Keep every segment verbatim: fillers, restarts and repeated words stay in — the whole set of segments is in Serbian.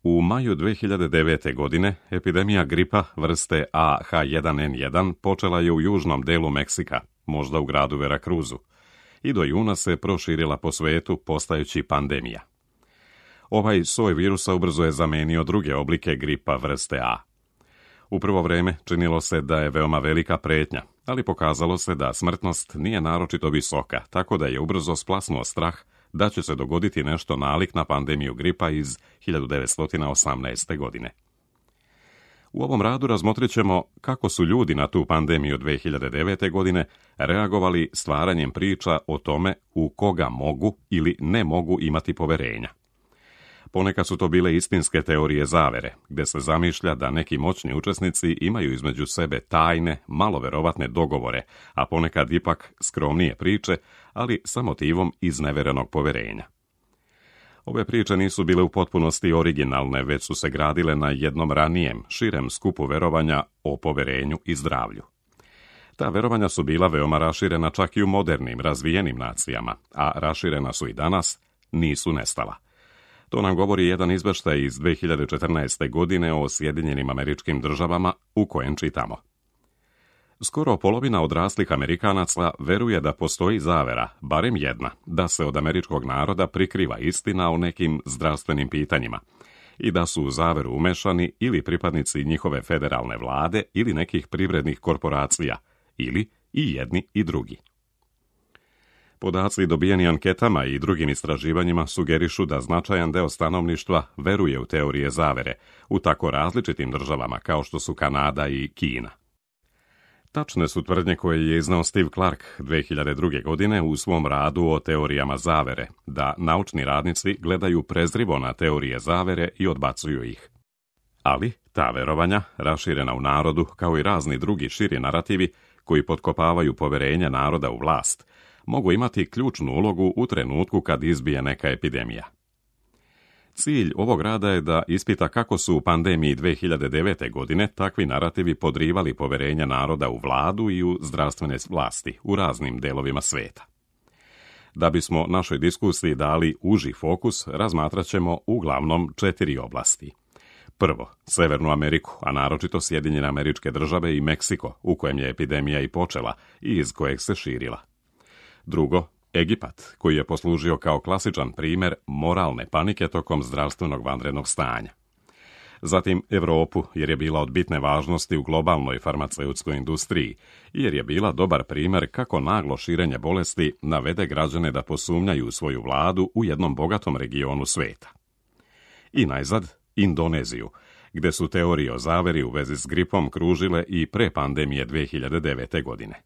U maju dve hiljade devete. godine epidemija gripa vrste A H jedan N jedan počela je u južnom delu Meksika, možda u gradu Veracruzu, i do juna se proširila po svetu postajući pandemija. Ovaj soj virusa ubrzo je zamenio druge oblike gripa vrste A. U prvo vreme činilo se da je veoma velika pretnja, ali pokazalo se da smrtnost nije naročito visoka, tako da je ubrzo splasnuo strah da će se dogoditi nešto nalik na pandemiju gripa iz hiljadu devetsto osamnaeste. godine. U ovom radu razmotrit ćemo kako su ljudi na tu pandemiju dve hiljade devete. godine reagovali stvaranjem priča o tome u koga mogu ili ne mogu imati poverenja. Ponekad su to bile istinske teorije zavere, gde se zamišlja da neki moćni učesnici imaju između sebe tajne, malo verovatne dogovore, a ponekad ipak skromnije priče, ali sa motivom izneverenog poverenja. Ove priče nisu bile u potpunosti originalne, već su se gradile na jednom ranijem, širem skupu verovanja o poverenju i zdravlju. Ta verovanja su bila veoma raširena čak i u modernim, razvijenim nacijama, a raširena su i danas, nisu nestala. To nam govori jedan izveštaj iz dve hiljade četrnaeste. godine o Sjedinjenim Američkim Državama u kojem čitamo. Skoro polovina odraslih Amerikanaca veruje da postoji zavera, barem jedna, da se od američkog naroda prikriva istina o nekim zdravstvenim pitanjima i da su u zaveru umešani ili pripadnici njihove federalne vlade ili nekih privrednih korporacija, ili i jedni i drugi. Podaci dobijeni anketama i drugim istraživanjima sugerišu da značajan deo stanovništva veruje u teorije zavere u tako različitim državama kao što su Kanada i Kina. Tačne su tvrdnje koje je iznao Steve Clark dve hiljade druge. godine u svom radu o teorijama zavere, da naučni radnici gledaju prezrivo na teorije zavere i odbacuju ih. Ali ta verovanja, raširena u narodu, kao i razni drugi širi narativi koji potkopavaju poverenje naroda u vlast, mogu imati ključnu ulogu u trenutku kad izbije neka epidemija. Cilj ovog rada je da ispita kako su u pandemiji dve hiljade devete. godine takvi narativi podrivali poverenje naroda u vladu i u zdravstvene vlasti u raznim delovima sveta. Da bismo našoj diskusiji dali uži fokus, razmatrat ćemo uglavnom četiri oblasti. Prvo, Severnu Ameriku, a naročito Sjedinjene Američke Države i Meksiko, u kojem je epidemija i počela i iz kojeg se širila. Drugo, Egipat, koji je poslužio kao klasičan primjer moralne panike tokom zdravstvenog vanrednog stanja. Zatim Evropu, jer je bila od bitne važnosti u globalnoj farmaceutskoj industriji, jer je bila dobar primjer kako naglo širenje bolesti navede građane da posumnjaju u svoju vladu u jednom bogatom regionu sveta. I najzad, Indoneziju, gde su teorije o zaveri u vezi s gripom kružile i pre pandemije dve hiljade devete. godine.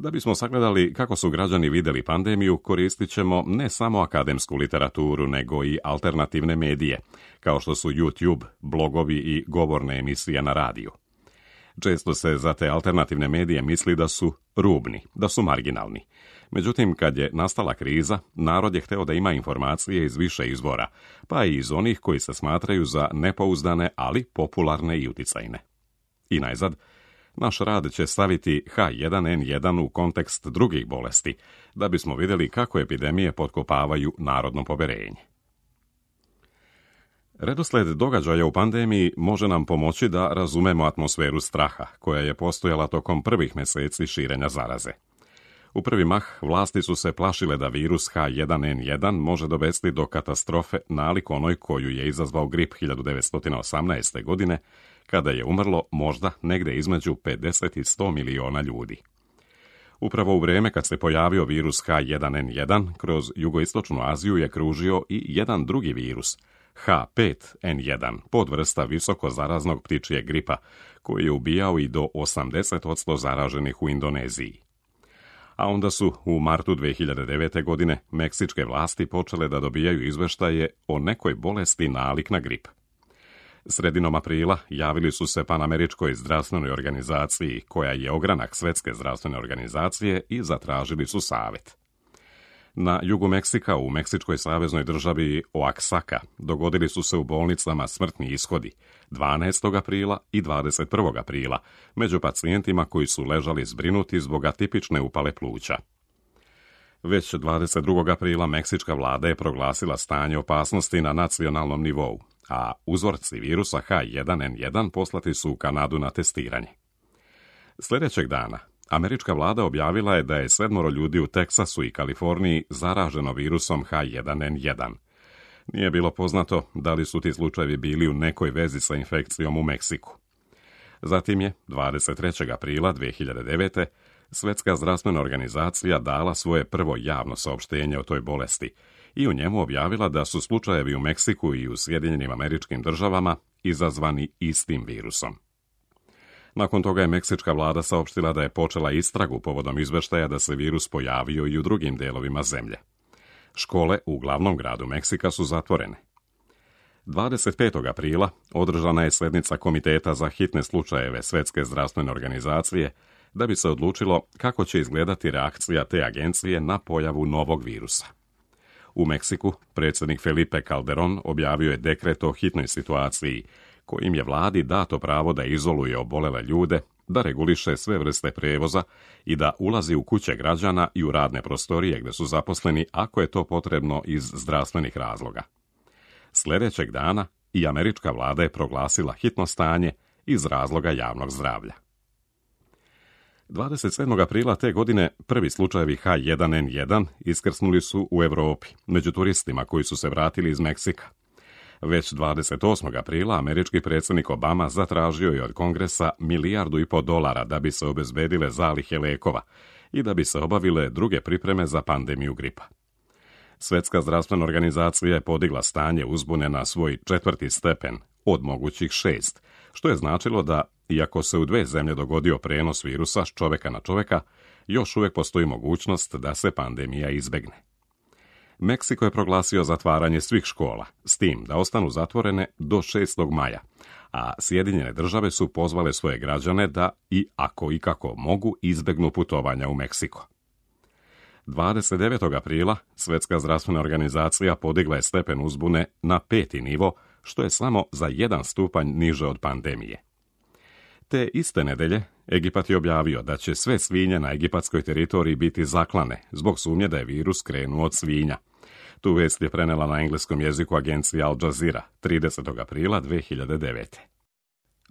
Da bismo sagledali kako su građani vidjeli pandemiju, koristit ćemo ne samo akademsku literaturu, nego i alternativne medije, kao što su YouTube, blogovi i govorne emisije na radiju. Često se za te alternativne medije misli da su rubni, da su marginalni. Međutim, kad je nastala kriza, narod je hteo da ima informacije iz više izvora, pa i iz onih koji se smatraju za nepouzdane, ali popularne i uticajne. I najzad, naš rad će staviti H jedan N jedan u kontekst drugih bolesti, da bismo vidjeli kako epidemije potkopavaju narodno poverenje. Redosled događaja u pandemiji može nam pomoći da razumemo atmosferu straha, koja je postojala tokom prvih mjeseci širenja zaraze. U prvi mah vlasti su se plašile da virus H jedan N jedan može dovesti do katastrofe nalik onoj koju je izazvao grip hiljadu devetsto osamnaeste. godine, kada je umrlo možda negde između pedeset i sto miliona ljudi. Upravo u vrijeme kad se pojavio virus H jedan N jedan, kroz jugoistočnu Aziju je kružio i jedan drugi virus, H pet N jedan, podvrsta visoko zaraznog ptičjeg gripa, koji je ubijao i do osamdeset posto zaraženih u Indoneziji. A onda su u martu dve hiljade devete. godine meksičke vlasti počele da dobijaju izveštaje o nekoj bolesti nalik na grip. Sredinom aprila javili su se Panameričkoj zdravstvenoj organizaciji, koja je ogranak Svetske zdravstvene organizacije, i zatražili su savjet. Na jugu Meksika, u meksičkoj saveznoj državi Oaxaca, dogodili su se u bolnicama smrtni ishodi dvanaestog aprila i dvadeset prvog aprila među pacijentima koji su ležali zbrinuti zbog atipične upale pluća. Već dvadeset drugog aprila meksička vlada je proglasila stanje opasnosti na nacionalnom nivou, a uzorci virusa H jedan N jedan poslati su u Kanadu na testiranje. Sljedećeg dana američka vlada objavila je da je sedmoro ljudi u Teksasu i Kaliforniji zaraženo virusom H jedan N jedan. Nije bilo poznato da li su ti slučajevi bili u nekoj vezi sa infekcijom u Meksiku. Zatim je dvadeset trećeg aprila dvije hiljade devete. Svjetska zdravstvena organizacija dala svoje prvo javno saopštenje o toj bolesti i u njemu objavila da su slučajevi u Meksiku i u Sjedinjenim Američkim Državama izazvani istim virusom. Nakon toga je meksička vlada saopštila da je počela istragu povodom izveštaja da se virus pojavio i u drugim delovima zemlje. Škole u glavnom gradu Meksika su zatvorene. dvadeset petog aprila održana je sjednica Komiteta za hitne slučajeve Svjetske zdravstvene organizacije da bi se odlučilo kako će izgledati reakcija te agencije na pojavu novog virusa. U Meksiku predsjednik Felipe Calderón objavio je dekret o hitnoj situaciji kojim je vladi dato pravo da izoluje obolele ljude, da reguliše sve vrste prijevoza i da ulazi u kuće građana i u radne prostorije gdje su zaposleni ako je to potrebno iz zdravstvenih razloga. Sljedećeg dana i američka vlada je proglasila hitno stanje iz razloga javnog zdravlja. dvadeset sedmog aprila te godine prvi slučajevi H jedan N jedan iskrsnuli su u Europi, među turistima koji su se vratili iz Meksika. Već dvadeset osmog aprila američki predsjednik Obama zatražio je od Kongresa milijardu i pol dolara da bi se obezbedile zalihe lijekova i da bi se obavile druge pripreme za pandemiju gripa. Svjetska zdravstvena organizacija je podigla stanje uzbune na svoj četvrti stepen od mogućih šest, što je značilo da, iako se u dve zemlje dogodio prenos virusa s čovjeka na čovjeka, još uvijek postoji mogućnost da se pandemija izbegne. Meksiko je proglasio zatvaranje svih škola, s tim da ostanu zatvorene do šestog maja, a Sjedinjene države su pozvale svoje građane da i ako i kako mogu izbegnu putovanja u Meksiko. dvadeset devetog aprila Svjetska zdravstvena organizacija podigla je stepen uzbune na peti nivo, što je samo za jedan stupanj niže od pandemije. Te iste nedelje Egipat je objavio da će sve svinje na egipatskoj teritoriji biti zaklane zbog sumnje da je virus krenuo od svinja. Tu vijest je prenela na engleskom jeziku agencija Al Jazeera tridesetog aprila dvije hiljade devete.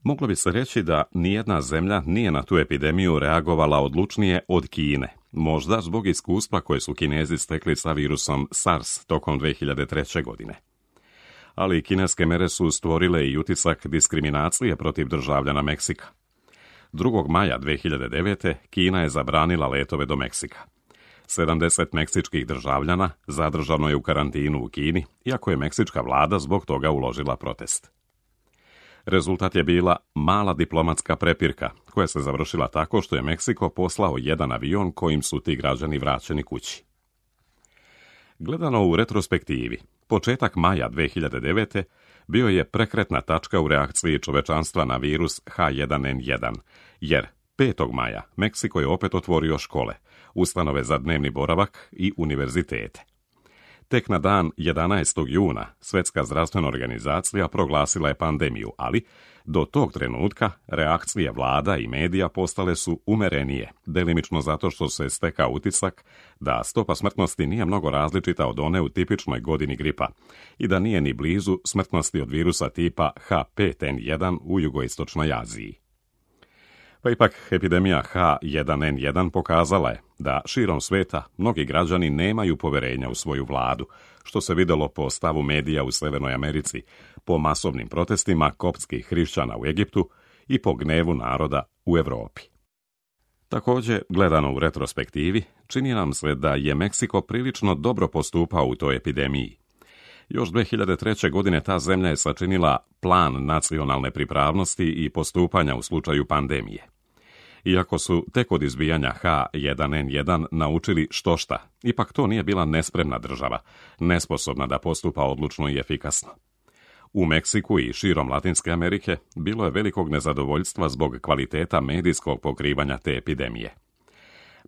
Moglo bi se reći da nijedna zemlja nije na tu epidemiju reagovala odlučnije od Kine, možda zbog iskustva koje su Kinezi stekli sa virusom SARS tokom dvije hiljade treće. godine. Ali kineske mere su stvorile i utisak diskriminacije protiv državljana Meksika. drugog maja dvije hiljade devete. Kina je zabranila letove do Meksika. sedamdeset meksičkih državljana zadržano je u karantinu u Kini, iako je meksička vlada zbog toga uložila protest. Rezultat je bila mala diplomatska prepirka, koja se završila tako što je Meksiko poslao jedan avion kojim su ti građani vraćeni kući. Gledano u retrospektivi, početak maja dvije hiljade devete. bio je prekretna tačka u reakciji čovečanstva na virus H jedan N jedan, jer petog maja Meksiko je opet otvorio škole, ustanove za dnevni boravak i univerzitete. Tek na dan jedanaestog juna Svjetska zdravstvena organizacija proglasila je pandemiju, ali do tog trenutka reakcije vlada i medija postale su umerenije, delimično zato što se stekao utisak da stopa smrtnosti nije mnogo različita od one u tipičnoj godini gripa i da nije ni blizu smrtnosti od virusa tipa H pet N jedan u jugoistočnoj Aziji. Pa ipak, epidemija H jedan N jedan pokazala je da širom sveta mnogi građani nemaju poverenja u svoju vladu, što se vidjelo po stavu medija u Sjevernoj Americi, po masovnim protestima koptskih hrišćana u Egiptu i po gnevu naroda u Europi. Također, gledano u retrospektivi, čini nam se da je Meksiko prilično dobro postupao u toj epidemiji. Još dvije hiljade treće. godine ta zemlja je sačinila plan nacionalne pripravnosti i postupanja u slučaju pandemije. Iako su tek od izbijanja H jedan N jedan naučili štošta, ipak to nije bila nespremna država, nesposobna da postupa odlučno i efikasno. U Meksiku i širom Latinske Amerike bilo je velikog nezadovoljstva zbog kvaliteta medijskog pokrivanja te epidemije.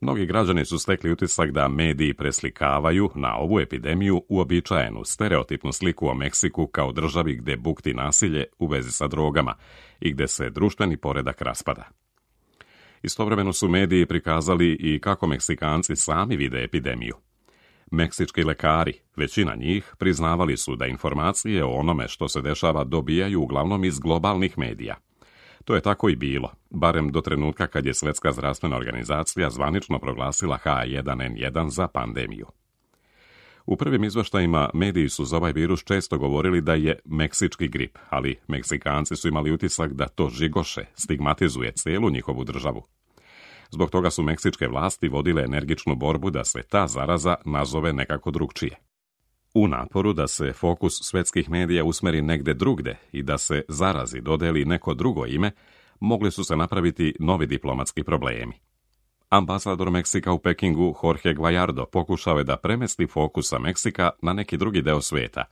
Mnogi građani su stekli utisak da mediji preslikavaju na ovu epidemiju uobičajenu stereotipnu sliku o Meksiku kao državi gdje bukti nasilje u vezi sa drogama i gdje se društveni poredak raspada. Istovremeno su mediji prikazali i kako Meksikanci sami vide epidemiju. Meksički lekari, većina njih, priznavali su da informacije o onome što se dešava dobijaju uglavnom iz globalnih medija. To je tako i bilo, barem do trenutka kad je Svjetska zdravstvena organizacija zvanično proglasila H jedan N jedan za pandemiju. U prvim izvještajima mediji su za ovaj virus često govorili da je meksički grip, ali Meksikanci su imali utisak da to žigoše, stigmatizuje cijelu njihovu državu. Zbog toga su meksičke vlasti vodile energičnu borbu da se ta zaraza nazove nekako drugčije. U naporu da se fokus svjetskih medija usmeri negde drugde i da se zarazi dodeli neko drugo ime, mogli su se napraviti novi diplomatski problemi. Ambasador Meksika u Pekingu Jorge Guajardo pokušao je da premesti fokusa Meksika na neki drugi deo svijeta,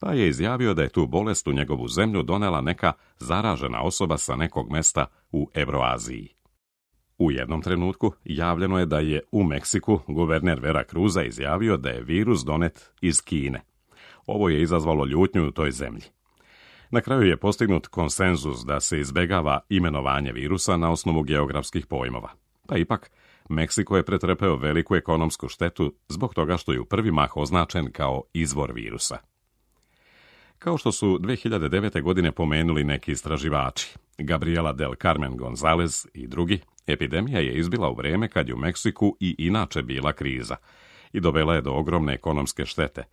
pa je izjavio da je tu bolest u njegovu zemlju donela neka zaražena osoba sa nekog mesta u Evroaziji. U jednom trenutku javljeno je da je u Meksiku guverner Vera Cruza izjavio da je virus donet iz Kine. Ovo je izazvalo ljutnju u toj zemlji. Na kraju je postignut konsenzus da se izbegava imenovanje virusa na osnovu geografskih pojmova. Pa ipak, Meksiko je pretrpeo veliku ekonomsku štetu zbog toga što je u prvi mah označen kao izvor virusa. Kao što su dvije hiljade devete. godine pomenuli neki istraživači, Gabriela del Carmen Gonzalez i drugi, epidemija je izbila u vrijeme kad je u Meksiku i inače bila kriza i dovela je do ogromne ekonomske štete,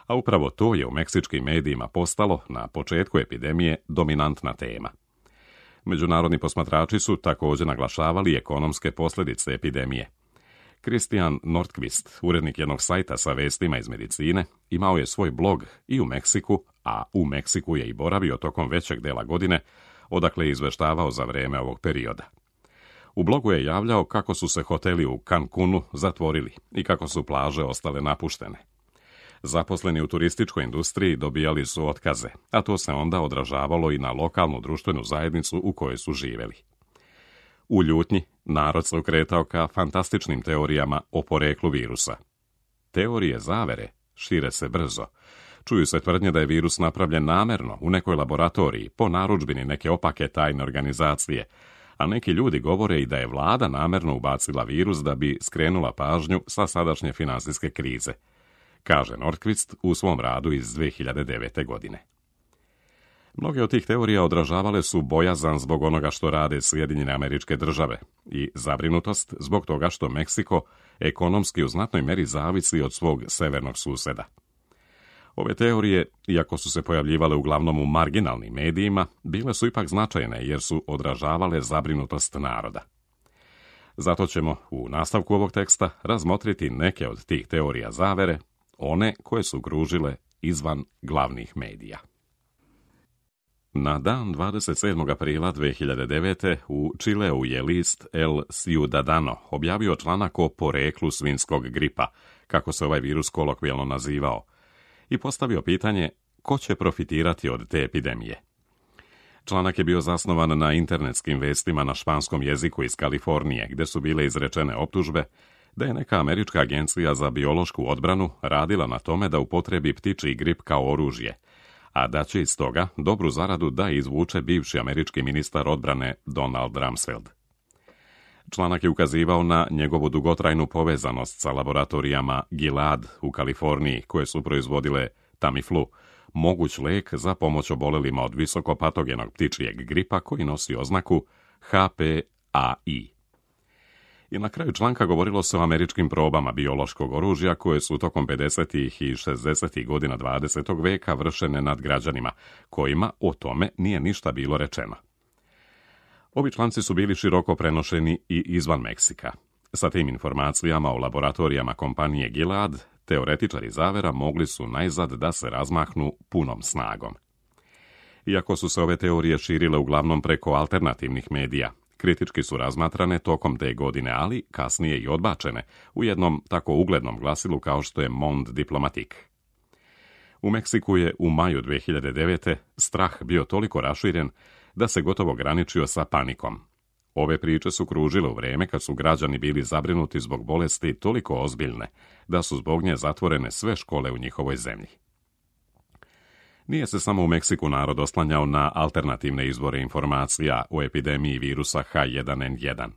a upravo to je u meksičkim medijima postalo na početku epidemije dominantna tema. Međunarodni posmatrači su također naglašavali ekonomske posljedice epidemije. Christian Nordqvist, urednik jednog sajta sa vestima iz medicine, imao je svoj blog i u Meksiku, a u Meksiku je i boravio tokom većeg dela godine, odakle je izveštavao za vrijeme ovog perioda. U blogu je javljao kako su se hoteli u Cancunu zatvorili i kako su plaže ostale napuštene. Zaposleni u turističkoj industriji dobijali su otkaze, a to se onda odražavalo i na lokalnu društvenu zajednicu u kojoj su živjeli. U ljutnji, narod se okretao ka fantastičnim teorijama o poreklu virusa. Teorije zavere šire se brzo. Čuju se tvrdnje da je virus napravljen namerno u nekoj laboratoriji po narudžbini neke opake tajne organizacije, a neki ljudi govore i da je vlada namerno ubacila virus da bi skrenula pažnju sa sadašnje finansijske krize, kaže Nordqvist u svom radu iz dvije hiljade devete. godine. Mnoge od tih teorija odražavale su bojazan zbog onoga što rade Sjedinjene Američke Države i zabrinutost zbog toga što Meksiko ekonomski u znatnoj meri zavisi od svog severnog suseda. Ove teorije, iako su se pojavljivale uglavnom u marginalnim medijima, bile su ipak značajne jer su odražavale zabrinutost naroda. Zato ćemo u nastavku ovog teksta razmotriti neke od tih teorija zavere, one koje su kružile izvan glavnih medija. Na dan dvadeset sedmog aprila dvije hiljade devete. u Čileu je list El Ciudadano objavio članak o poreklu svinjskog gripa, kako se ovaj virus kolokvijalno nazivao, i postavio pitanje ko će profitirati od te epidemije. Članak je bio zasnovan na internetskim vestima na španskom jeziku iz Kalifornije, gdje su bile izrečene optužbe da je neka američka agencija za biološku odbranu radila na tome da upotrebi ptičji grip kao oružje, a da će iz toga dobru zaradu da izvuče bivši američki ministar odbrane Donald Rumsfeld. Članak je ukazivao na njegovu dugotrajnu povezanost sa laboratorijama Gilead u Kaliforniji, koje su proizvodile Tamiflu, moguć lek za pomoć obolelima od visokopatogenog ptičjeg gripa koji nosi oznaku H P A I. I na kraju članka govorilo se o američkim probama biološkog oružja koje su tokom pedesetih i šezdesetih godina dvadesetog veka vršene nad građanima, kojima o tome nije ništa bilo rečeno. Ovi članci su bili široko prenošeni i izvan Meksika. Sa tim informacijama o laboratorijama kompanije Gilead, teoretičari zavera mogli su najzad da se razmahnu punom snagom. Iako su se ove teorije širile uglavnom preko alternativnih medija, kritički su razmatrane tokom te godine, ali kasnije i odbačene u jednom tako uglednom glasilu kao što je Monde Diplomatique. U Meksiku je u maju dvije hiljade devete. strah bio toliko raširen da se gotovo graničio sa panikom. Ove priče su kružile u vrijeme kad su građani bili zabrinuti zbog bolesti toliko ozbiljne da su zbog nje zatvorene sve škole u njihovoj zemlji. Nije se samo u Meksiku narod oslanjao na alternativne izvore informacija o epidemiji virusa H jedan N jedan.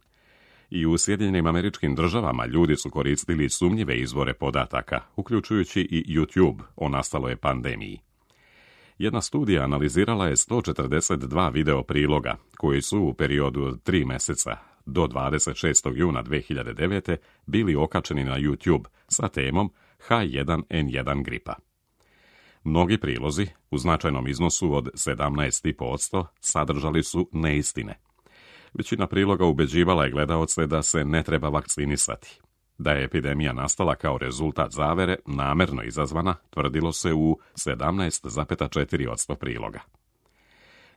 I u Sjedinjenim Američkim Državama ljudi su koristili sumnjive izvore podataka, uključujući i YouTube o nastaloj pandemiji. Jedna studija analizirala je sto četrdeset dva video priloga, koji su u periodu od tri meseca do dvadeset šestog juna dve hiljade devete. bili okačeni na YouTube sa temom H jedan N jedan gripa. Mnogi prilozi, u značajnom iznosu od sedamnaest zarez pet posto, sadržali su neistine. Većina priloga ubeđivala je gledaoce da se ne treba vakcinisati. Da je epidemija nastala kao rezultat zavere, namerno izazvana, tvrdilo se u sedamnaest zarez četiri posto priloga.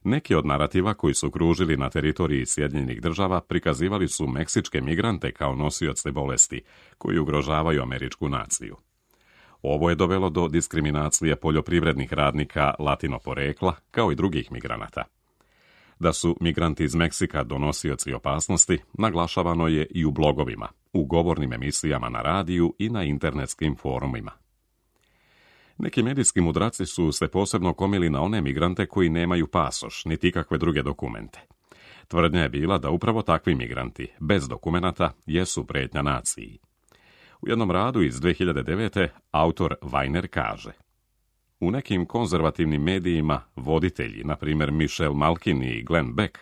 Neki od narativa koji su kružili na teritoriji Sjedinjenih Država prikazivali su meksičke migrante kao nosioce bolesti, koji ugrožavaju američku naciju. Ovo je dovelo do diskriminacije poljoprivrednih radnika latino porekla, kao i drugih migranata. Da su migranti iz Meksika donosioci opasnosti, naglašavano je i u blogovima, u govornim emisijama na radiju i na internetskim forumima. Neki medijski mudraci su se posebno komili na one migrante koji nemaju pasoš, niti ikakve druge dokumente. Tvrdnja je bila da upravo takvi migranti, bez dokumenata, jesu prijetnja naciji. U jednom radu iz dve hiljade devete. autor Weiner kaže: u nekim konzervativnim medijima voditelji, na primjer Michelle Malkin i Glenn Beck,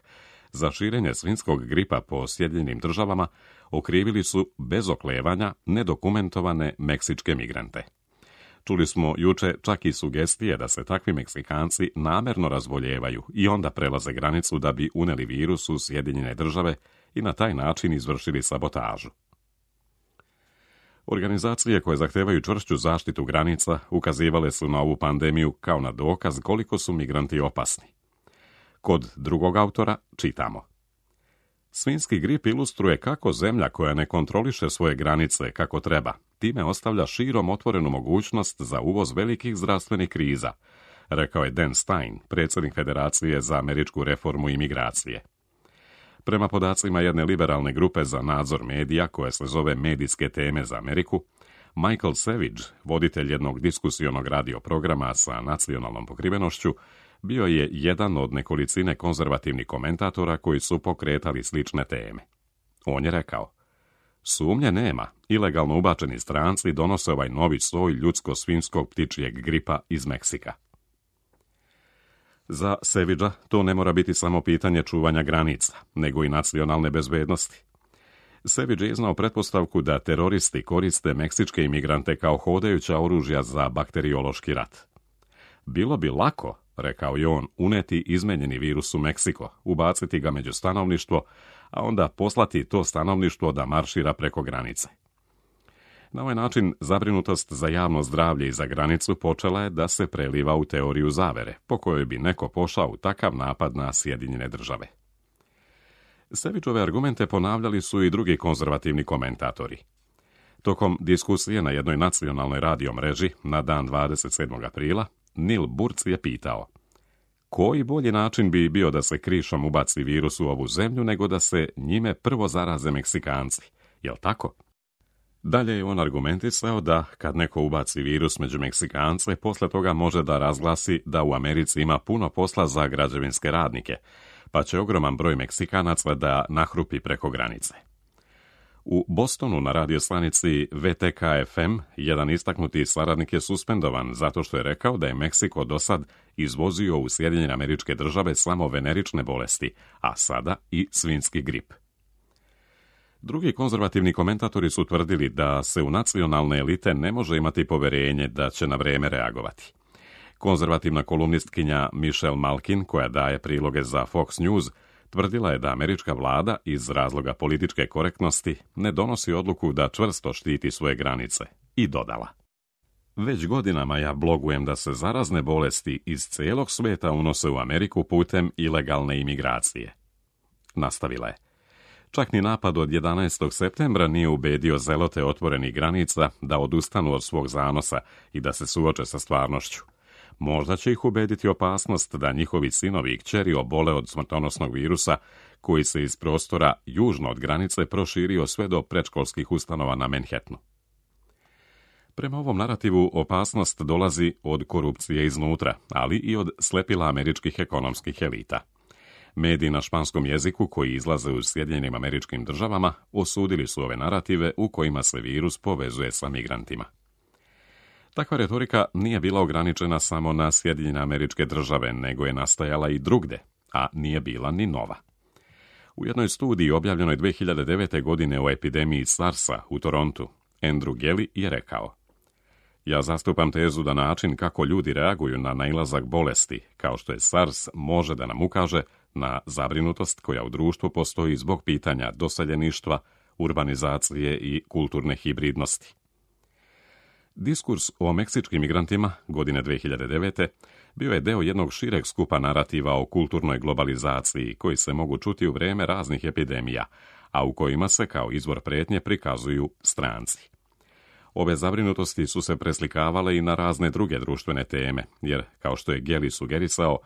za širenje svinjskog gripa po Sjedinjenim Državama okrivili su bez oklevanja nedokumentovane meksičke migrante. Čuli smo juče čak i sugestije da se takvi Meksikanci namerno razboljevaju i onda prelaze granicu da bi uneli virus u Sjedinjene Države i na taj način izvršili sabotažu. Organizacije koje zahtevaju čvršću zaštitu granica ukazivale su na ovu pandemiju kao na dokaz koliko su migranti opasni. Kod drugog autora čitamo: svinjski grip ilustruje kako zemlja koja ne kontroliše svoje granice kako treba, time ostavlja širom otvorenu mogućnost za uvoz velikih zdravstvenih kriza, rekao je Dan Stein, predsjednik Federacije za američku reformu i migracije. Prema podacima jedne liberalne grupe za nadzor medija, koja se zove Medijske teme za Ameriku, Michael Savage, voditelj jednog diskusionog radio programa sa nacionalnom pokrivenošću, bio je jedan od nekolicine konzervativnih komentatora koji su pokretali slične teme. On je rekao: sumnje nema, ilegalno ubačeni stranci donose ovaj novi soj ljudsko-svinjskog ptičjeg gripa iz Meksika. Za Savagea to ne mora biti samo pitanje čuvanja granica, nego i nacionalne bezbednosti. Savage je iznao pretpostavku da teroristi koriste meksičke imigrante kao hodajuća oružja za bakteriološki rat. Bilo bi lako, rekao je on, uneti izmenjeni virus u Meksiko, ubaciti ga među stanovništvo, a onda poslati to stanovništvo da maršira preko granice. Na ovaj način zabrinutost za javno zdravlje i za granicu počela je da se preliva u teoriju zavere, po kojoj bi neko pošao u takav napad na Sjedinjene Države. Savageove argumente ponavljali su i drugi konzervativni komentatori. Tokom diskusije na jednoj nacionalnoj radio mreži na dan dvadeset sedmog aprila, Neil Burc je pitao: koji bolji način bi bio da se krišom ubaci virus u ovu zemlju nego da se njime prvo zaraze Meksikanci, jel tako? Dalje je on argumentisao da kad neko ubaci virus među Meksikance, posle toga može da razglasi da u Americi ima puno posla za građevinske radnike, pa će ogroman broj Meksikanaca da nahrupi preko granice. U Bostonu na radiostanici V T K F M jedan istaknuti saradnik je suspendovan zato što je rekao da je Meksiko do sad izvozio u Sjedinjene Američke Države samo venerične bolesti, a sada i svinjski grip. Drugi konzervativni komentatori su tvrdili da se u nacionalne elite ne može imati poverenje da će na vreme reagovati. Konzervativna kolumnistkinja Michelle Malkin, koja daje priloge za Fox News, tvrdila je da američka vlada iz razloga političke korektnosti ne donosi odluku da čvrsto štiti svoje granice, i dodala: već godinama ja blogujem da se zarazne bolesti iz cijelog svijeta unose u Ameriku putem ilegalne imigracije. Nastavila je: čak ni napad od jedanaestog septembra nije ubedio zelote otvorenih granica da odustanu od svog zanosa i da se suoče sa stvarnošću. Možda će ih ubediti opasnost da njihovi sinovi i kćeri obole od smrtonosnog virusa koji se iz prostora južno od granice proširio sve do predškolskih ustanova na Manhattanu. Prema ovom narativu opasnost dolazi od korupcije iznutra, ali i od slepila američkih ekonomskih elita. Mediji na španskom jeziku koji izlaze u Sjedinjenim Američkim Državama osudili su ove narative u kojima se virus povezuje sa migrantima. Takva retorika nije bila ograničena samo na Sjedinjene Američke Države, nego je nastajala i drugde, a nije bila ni nova. U jednoj studiji objavljenoj dve hiljade devete. godine o epidemiji SARS-a u Torontu, Andrew Gelly je rekao: Ja zastupam tezu da način kako ljudi reaguju na nailazak bolesti, kao što je SARS, može da nam ukaže na zabrinutost koja u društvu postoji zbog pitanja doseljeništva, urbanizacije i kulturne hibridnosti. Diskurs o meksičkim migrantima godine dve hiljade devete. bio je deo jednog šireg skupa narativa o kulturnoj globalizaciji koji se mogu čuti u vrijeme raznih epidemija, a u kojima se kao izvor prijetnje prikazuju stranci. Ove zabrinutosti su se preslikavale i na razne druge društvene teme, jer, kao što je Gelly sugerisao,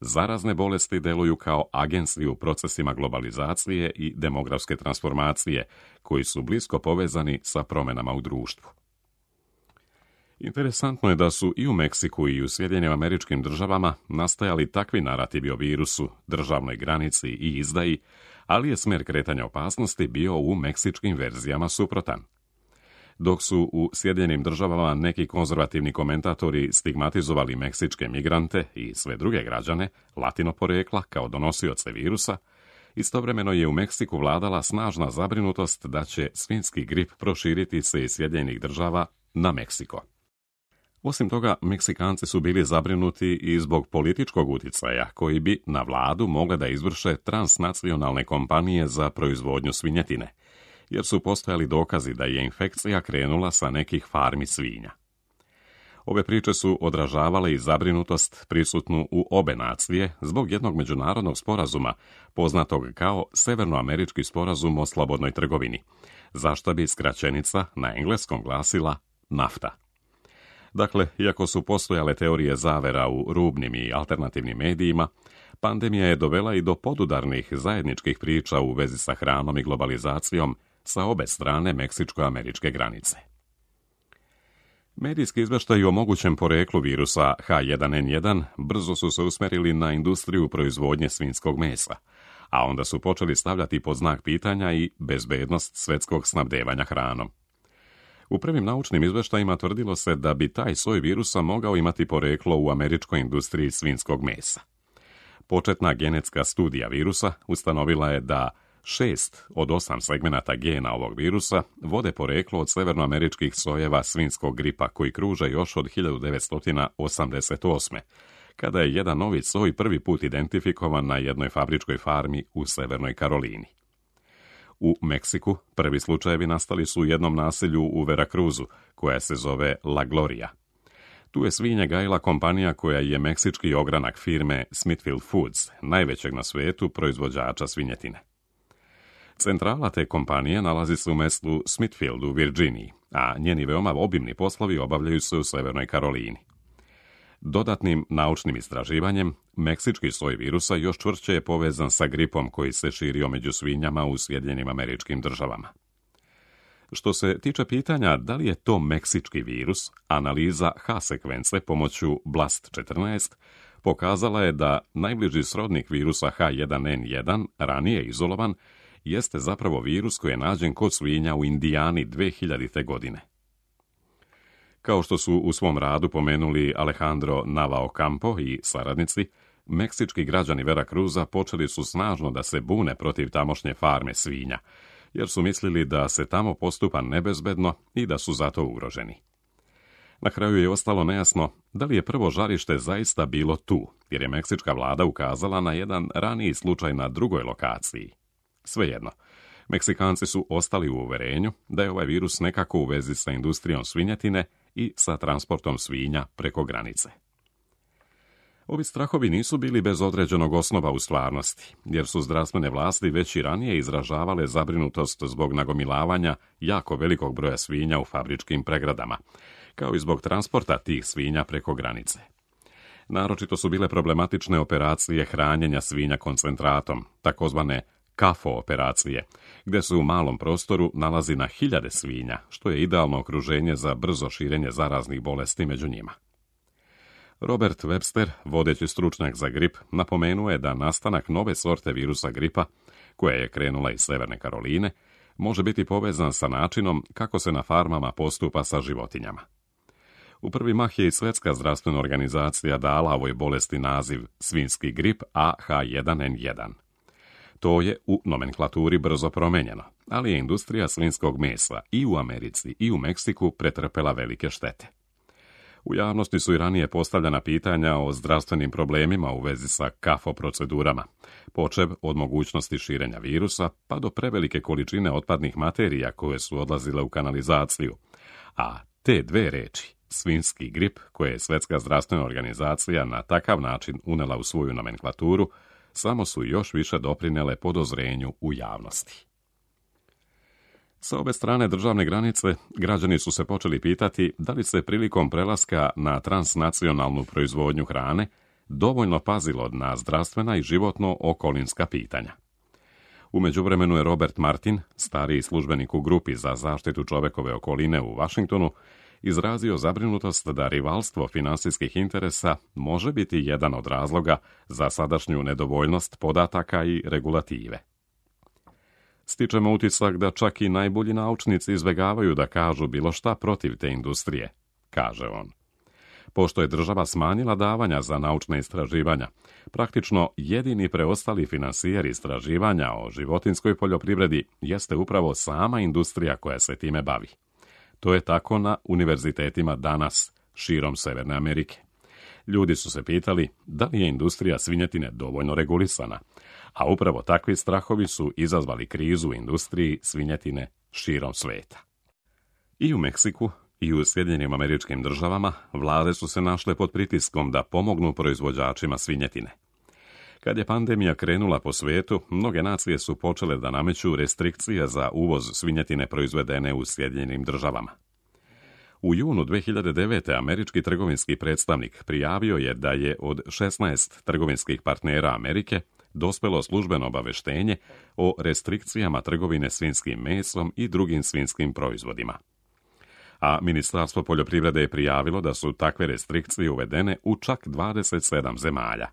zarazne bolesti deluju kao agensi u procesima globalizacije i demografske transformacije, koji su blisko povezani sa promjenama u društvu. Interesantno je da su i u Meksiku i u Sjedinjenim Američkim Državama nastajali takvi narativi o virusu, državnoj granici i izdaji, ali je smjer kretanja opasnosti bio u meksičkim verzijama suprotan. Dok su u Sjedinjenim Državama neki konzervativni komentatori stigmatizovali meksičke migrante i sve druge građane latino porijekla kao donosioce virusa, istovremeno je u Meksiku vladala snažna zabrinutost da će svinjski grip proširiti se iz Sjedinjenih Država na Meksiko. Osim toga, Meksikanci su bili zabrinuti i zbog političkog utjecaja koji bi na vladu mogle da izvrše transnacionalne kompanije za proizvodnju svinjetine, jer su postojali dokazi da je infekcija krenula sa nekih farmi svinja. Ove priče su odražavale i zabrinutost prisutnu u obe nacije zbog jednog međunarodnog sporazuma, poznatog kao Severnoamerički sporazum o slobodnoj trgovini, za što bi skraćenica na engleskom glasila NAFTA. Dakle, iako su postojale teorije zavera u rubnim i alternativnim medijima, pandemija je dovela i do podudarnih zajedničkih priča u vezi sa hranom i globalizacijom sa obe strane meksičko-američke granice. Medijski izvještaji o mogućem poreklu virusa H jedan N jedan brzo su se usmerili na industriju proizvodnje svinjskog mesa, a onda su počeli stavljati pod znak pitanja i bezbednost svjetskog snabdevanja hranom. U prvim naučnim izvještajima tvrdilo se da bi taj soj virusa mogao imati poreklo u američkoj industriji svinjskog mesa. Početna genetska studija virusa ustanovila je da šest od osam segmenata gena ovog virusa vode poreklo od severnoameričkih sojeva svinjskog gripa koji kruže još od hiljadu devetsto osamdeset osme. kada je jedan novi soj prvi put identifikovan na jednoj fabričkoj farmi u Severnoj Karolini. U Meksiku prvi slučajevi nastali su u jednom naselju u Veracruzu, koja se zove La Gloria. Tu je svinje gajila kompanija koja je meksički ogranak firme Smithfield Foods, najvećeg na svijetu proizvođača svinjetine. Centrala te kompanije nalazi se u mjestu Smithfield u Virginiji, a njeni veoma obimni poslovi obavljaju se u Severnoj Karolini. Dodatnim naučnim istraživanjem, meksički soj virusa još čvršće je povezan sa gripom koji se širio među svinjama u Sjedinjenim Američkim Državama. Što se tiče pitanja da li je to meksički virus, analiza H sekvence pomoću blast četrnaest pokazala je da najbliži srodnik virusa H jedan N jedan, ranije izolovan, jeste zapravo virus koji je nađen kod svinja u Indijani dve hiljadite. godine. Kao što su u svom radu pomenuli Alejandro Navaocampo i saradnici, meksički građani Veracruza počeli su snažno da se bune protiv tamošnje farme svinja, jer su mislili da se tamo postupa nebezbedno i da su zato ugroženi. Na kraju je ostalo nejasno da li je prvo žarište zaista bilo tu, jer je meksička vlada ukazala na jedan raniji slučaj na drugoj lokaciji. Svejedno, Meksikanci su ostali u uverenju da je ovaj virus nekako u vezi sa industrijom svinjetine i sa transportom svinja preko granice. Ovi strahovi nisu bili bez određenog osnova u stvarnosti, jer su zdravstvene vlasti već i ranije izražavale zabrinutost zbog nagomilavanja jako velikog broja svinja u fabričkim pregradama, kao i zbog transporta tih svinja preko granice. Naročito su bile problematične operacije hranjenja svinja koncentratom, takozvane kafo operacije, gdje se u malom prostoru nalazi na hiljade svinja, što je idealno okruženje za brzo širenje zaraznih bolesti među njima. Robert Webster, vodeći stručnjak za grip, napomenuo je da nastanak nove sorte virusa gripa, koja je krenula iz Severne Karoline, može biti povezan sa načinom kako se na farmama postupa sa životinjama. U prvi mah je i Svjetska zdravstvena organizacija dala ovoj bolesti naziv svinjski grip A H jedan N jedan. To je u nomenklaturi brzo promenjeno, ali je industrija svinjskog mesa i u Americi i u Meksiku pretrpela velike štete. U javnosti su i ranije postavljena pitanja o zdravstvenim problemima u vezi sa kafo procedurama, počev od mogućnosti širenja virusa pa do prevelike količine otpadnih materija koje su odlazile u kanalizaciju, a te dve reči, svinjski grip, koje je Svjetska zdravstvena organizacija na takav način unela u svoju nomenklaturu, samo su još više doprinele podozrenju u javnosti. Sa obe strane državne granice, građani su se počeli pitati da li se prilikom prelaska na transnacionalnu proizvodnju hrane dovoljno pazilo na zdravstvena i životno okolinska pitanja. U međuvremenu je Robert Martin, stariji službenik u grupi za zaštitu čovekove okoline u Washingtonu, izrazio zabrinutost da rivalstvo finansijskih interesa može biti jedan od razloga za sadašnju nedovoljnost podataka i regulative. Stičemo utisak da čak i najbolji naučnici izbjegavaju da kažu bilo šta protiv te industrije, kaže on. Pošto je država smanjila davanja za naučne istraživanja, praktično jedini preostali finansijer istraživanja o životinjskoj poljoprivredi jeste upravo sama industrija koja se time bavi. To je tako na univerzitetima danas, širom Severne Amerike. Ljudi su se pitali da li je industrija svinjetine dovoljno regulisana, a upravo takvi strahovi su izazvali krizu u industriji svinjetine širom sveta. I u Meksiku i u Sjedinjenim Američkim Državama vlade su se našle pod pritiskom da pomognu proizvođačima svinjetine. Kad je pandemija krenula po svijetu, mnoge nacije su počele da nameću restrikcije za uvoz svinjetine proizvedene u Sjedinjenim Državama. U junu dve hiljade devete. američki trgovinski predstavnik prijavio je da je od šesnaest trgovinskih partnera Amerike dospelo službeno obaveštenje o restrikcijama trgovine svinjskim mesom i drugim svinjskim proizvodima. A Ministarstvo poljoprivrede je prijavilo da su takve restrikcije uvedene u čak dvadeset sedam zemalja.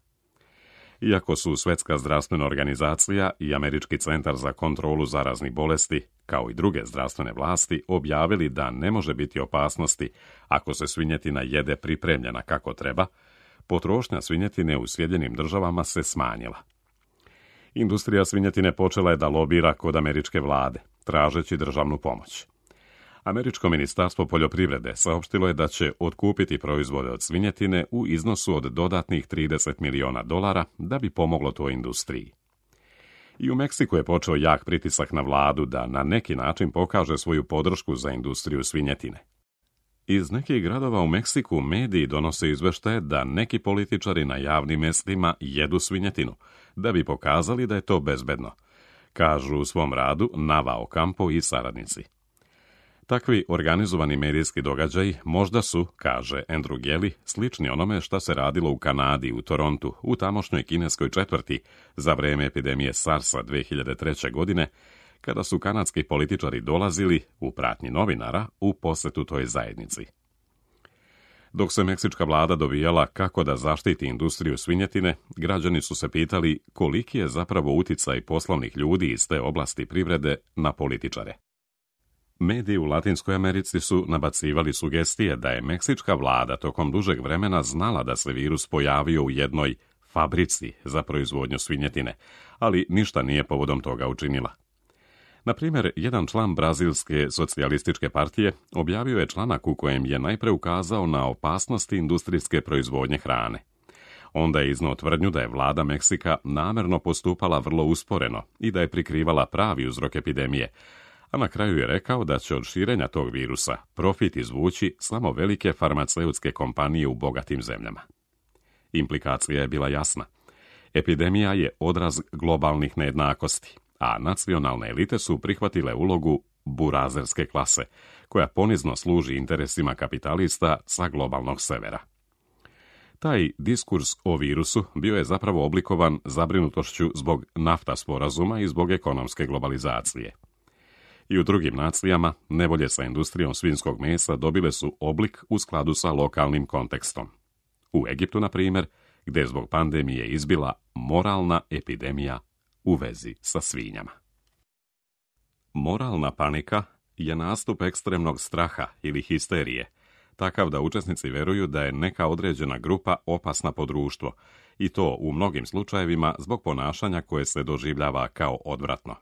Iako su Svjetska zdravstvena organizacija i Američki centar za kontrolu zaraznih bolesti, kao i druge zdravstvene vlasti, objavili da ne može biti opasnosti ako se svinjetina jede pripremljena kako treba, potrošnja svinjetine u Sjedinjenim Državama se smanjila. Industrija svinjetine počela je da lobira kod američke vlade, tražeći državnu pomoć. Američko ministarstvo poljoprivrede saopštilo je da će otkupiti proizvode od svinjetine u iznosu od dodatnih trideset miliona dolara da bi pomoglo toj industriji. I u Meksiku je počeo jak pritisak na vladu da na neki način pokaže svoju podršku za industriju svinjetine. Iz nekih gradova u Meksiku mediji donose izveštaje da neki političari na javnim mjestima jedu svinjetinu, da bi pokazali da je to bezbedno, kažu u svom radu Nava Ocampo i saradnici. Takvi organizovani medijski događaji možda su, kaže Andrew Gelly, slični onome što se radilo u Kanadi, u Torontu, u tamošnjoj kineskoj četvrti za vrijeme epidemije SARS-a dve hiljade treće. godine, kada su kanadski političari dolazili, u pratnji novinara, u posjetu toj zajednici. Dok se meksička vlada dovijala kako da zaštiti industriju svinjetine, građani su se pitali koliki je zapravo uticaj poslovnih ljudi iz te oblasti privrede na političare. Mediji u Latinskoj Americi su nabacivali sugestije da je meksička vlada tokom dužeg vremena znala da se virus pojavio u jednoj fabrici za proizvodnju svinjetine, ali ništa nije povodom toga učinila. Na primjer, jedan član Brazilske socijalističke partije objavio je članak u kojem je najpre ukazao na opasnosti industrijske proizvodnje hrane. Onda je iznao tvrdnju da je vlada Meksika namerno postupala vrlo usporeno i da je prikrivala pravi uzrok epidemije, a na kraju je rekao da će od širenja tog virusa profit izvući samo velike farmaceutske kompanije u bogatim zemljama. Implikacija je bila jasna. Epidemija je odraz globalnih nejednakosti, a nacionalne elite su prihvatile ulogu burazerske klase, koja ponizno služi interesima kapitalista sa globalnog severa. Taj diskurs o virusu bio je zapravo oblikovan zabrinutošću zbog nafta sporazuma i zbog ekonomske globalizacije. I u drugim nacijama nevolje sa industrijom svinjskog mesa dobile su oblik u skladu sa lokalnim kontekstom. U Egiptu, na primjer, gdje je zbog pandemije izbila moralna epidemija u vezi sa svinjama. Moralna panika je nastup ekstremnog straha ili histerije, takav da učesnici vjeruju da je neka određena grupa opasna po društvo, i to u mnogim slučajevima zbog ponašanja koje se doživljava kao odvratno.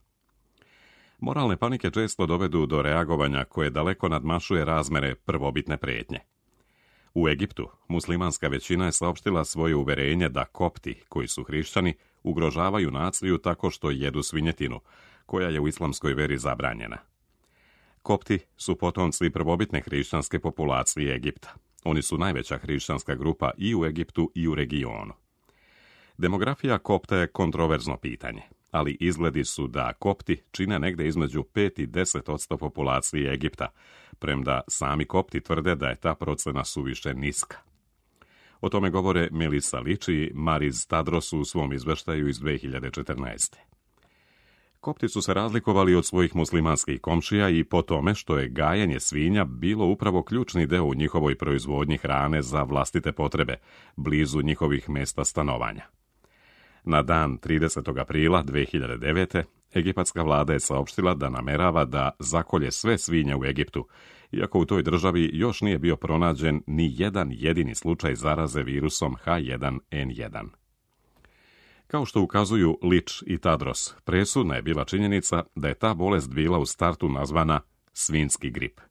Moralne panike često dovedu do reagovanja koje daleko nadmašuje razmere prvobitne prijetnje. U Egiptu muslimanska većina je saopštila svoje uverenje da kopti, koji su hrišćani, ugrožavaju naciju tako što jedu svinjetinu, koja je u islamskoj veri zabranjena. Kopti su potomci prvobitne hrišćanske populacije Egipta. Oni su najveća hrišćanska grupa i u Egiptu i u regionu. Demografija Kopta je kontroverzno pitanje, ali izgledi su da Kopti čine negde između pet i deset odsto populacije Egipta, premda sami Kopti tvrde da je ta procena suviše niska. O tome govore Melissa Lič i Mariz Tadros u svom izveštaju iz dve hiljade četrnaeste. Kopti su se razlikovali od svojih muslimanskih komšija i po tome što je gajenje svinja bilo upravo ključni deo u njihovoj proizvodnji hrane za vlastite potrebe, blizu njihovih mjesta stanovanja. Na dan tridesetog aprila dve hiljade devete. egipatska vlada je saopštila da namerava da zakolje sve svinje u Egiptu, iako u toj državi još nije bio pronađen ni jedan jedini slučaj zaraze virusom H jedan N jedan. Kao što ukazuju Lič i Tadros, presudna je bila činjenica da je ta bolest bila u startu nazvana svinjski grip,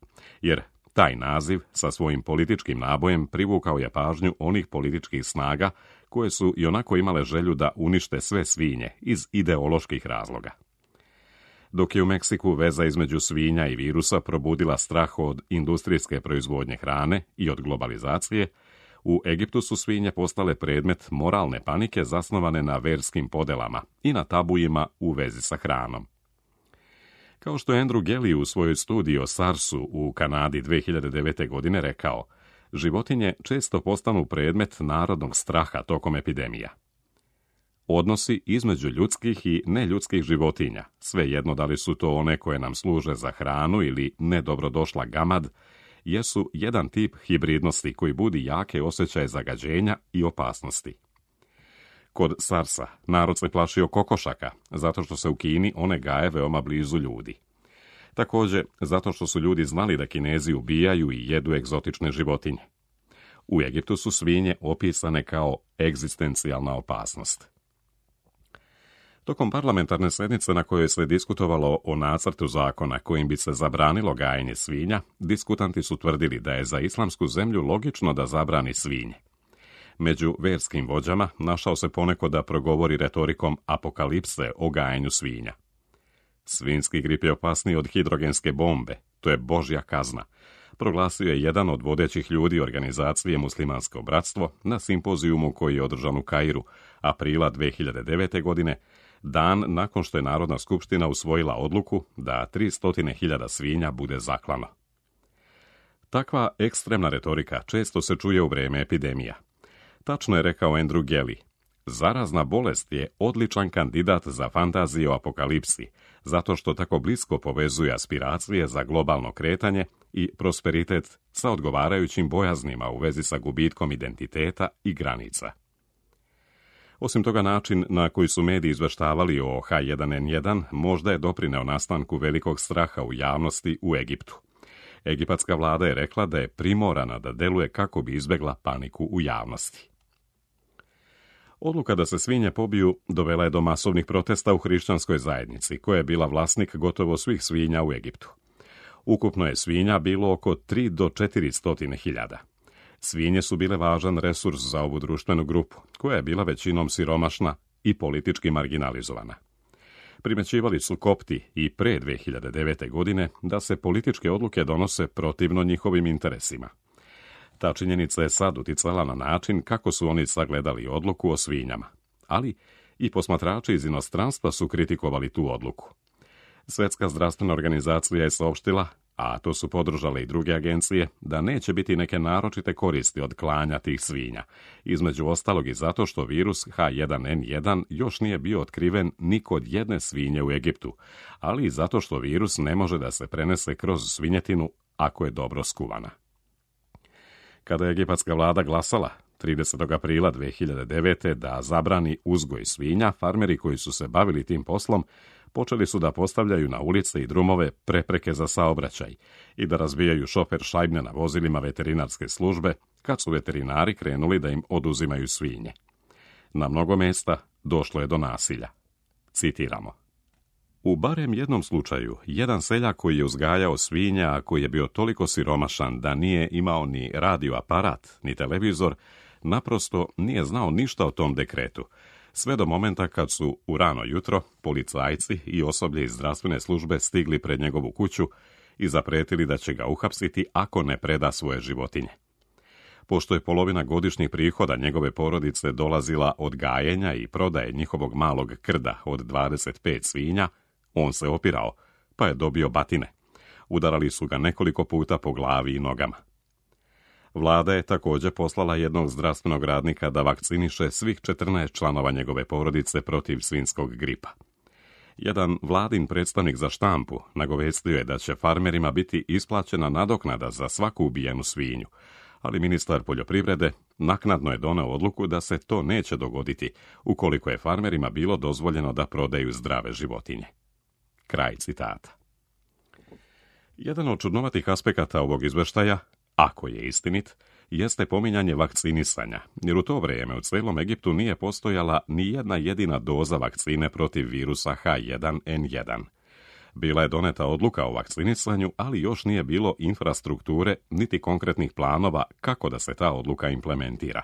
jer taj naziv sa svojim političkim nabojem privukao je pažnju onih političkih snaga koje su ionako imale želju da unište sve svinje iz ideoloških razloga. Dok je u Meksiku veza između svinja i virusa probudila strah od industrijske proizvodnje hrane i od globalizacije, u Egiptu su svinje postale predmet moralne panike zasnovane na verskim podelama i na tabujima u vezi sa hranom. Kao što je Andrew Gelly u svojoj studiji o SARS-u u Kanadi dve hiljade devete. godine rekao, životinje često postanu predmet narodnog straha tokom epidemija. Odnosi između ljudskih i neljudskih životinja, svejedno da li su to one koje nam služe za hranu ili nedobrodošla gamad, jesu jedan tip hibridnosti koji budi jake osjećaje zagađenja i opasnosti. Kod SARS-a narod se plašio kokošaka, zato što se u Kini one gaje veoma blizu ljudi. Također, zato što su ljudi znali da Kinezi ubijaju i jedu egzotične životinje. U Egiptu su svinje opisane kao egzistencijalna opasnost. Tokom parlamentarne sjednice na kojoj se diskutovalo o nacrtu zakona kojim bi se zabranilo gajenje svinja, diskutanti su tvrdili da je za islamsku zemlju logično da zabrani svinje. Među verskim vođama našao se poneko da progovori retorikom apokalipse o gajenju svinja. Svinjski grip je opasniji od hidrogenske bombe, to je Božja kazna, proglasio je jedan od vodećih ljudi organizacije Muslimansko bratstvo na simpozijumu koji je održan u Kairu, aprila dve hiljade devete. godine, dan nakon što je Narodna skupština usvojila odluku da tristo hiljada svinja bude zaklano. Takva ekstremna retorika često se čuje u vrijeme epidemija. Tačno je rekao Andrew Gelly, zarazna bolest je odličan kandidat za fantaziju o apokalipsi, zato što tako blisko povezuje aspiracije za globalno kretanje i prosperitet sa odgovarajućim bojaznima u vezi sa gubitkom identiteta i granica. Osim toga, način na koji su mediji izveštavali o H jedan N jedan možda je doprineo nastanku velikog straha u javnosti u Egiptu. Egipatska vlada je rekla da je primorana da deluje kako bi izbjegla paniku u javnosti. Odluka da se svinje pobiju dovela je do masovnih protesta u hrišćanskoj zajednici, koja je bila vlasnik gotovo svih svinja u Egiptu. Ukupno je svinja bilo oko tri do četiri stotine hiljada. Svinje su bile važan resurs za ovu društvenu grupu, koja je bila većinom siromašna i politički marginalizovana. Primećivali su Kopti i pre dve hiljade devete. godine da se političke odluke donose protivno njihovim interesima. Ta činjenica je sad uticala na način kako su oni sagledali odluku o svinjama, ali i posmatrači iz inostranstva su kritikovali tu odluku. Svjetska zdravstvena organizacija je saopštila, a to su podržale i druge agencije, da neće biti neke naročite koristi od klanja tih svinja, između ostalog i zato što virus H jedan N jedan još nije bio otkriven ni kod jedne svinje u Egiptu, ali i zato što virus ne može da se prenese kroz svinjetinu ako je dobro skuvana. Kada je egipatska vlada glasala, tridesetog aprila dve hiljade devete da zabrani uzgoj svinja, farmeri koji su se bavili tim poslom počeli su da postavljaju na ulice i drumove prepreke za saobraćaj i da razbijaju šofer šajbne na vozilima veterinarske službe kad su veterinari krenuli da im oduzimaju svinje. Na mnogo mjesta došlo je do nasilja. Citiramo. U barem jednom slučaju, jedan seljak koji je uzgajao svinja, a koji je bio toliko siromašan da nije imao ni radioaparat, ni televizor, naprosto nije znao ništa o tom dekretu, sve do momenta kad su u rano jutro policajci i osoblje iz zdravstvene službe stigli pred njegovu kuću i zapretili da će ga uhapsiti ako ne preda svoje životinje. Pošto je polovina godišnjih prihoda njegove porodice dolazila od gajenja i prodaje njihovog malog krda od dvadeset pet svinja, on se opirao, pa je dobio batine. Udarali su ga nekoliko puta po glavi i nogama. Vlada je također poslala jednog zdravstvenog radnika da vakciniše svih četrnaest članova njegove porodice protiv svinjskog gripa. Jedan vladin predstavnik za štampu nagovestio je da će farmerima biti isplaćena nadoknada za svaku ubijenu svinju, ali ministar poljoprivrede naknadno je doneo odluku da se to neće dogoditi ukoliko je farmerima bilo dozvoljeno da prodaju zdrave životinje. Kraj citata. Jedan od čudnovatih aspekata ovog izveštaja, ako je istinit, jeste pominjanje vakcinisanja, jer u to vrijeme u cijelom Egiptu nije postojala ni jedna jedina doza vakcine protiv virusa H jedan N jedan. Bila je doneta odluka o vakcinisanju, ali još nije bilo infrastrukture niti konkretnih planova kako da se ta odluka implementira.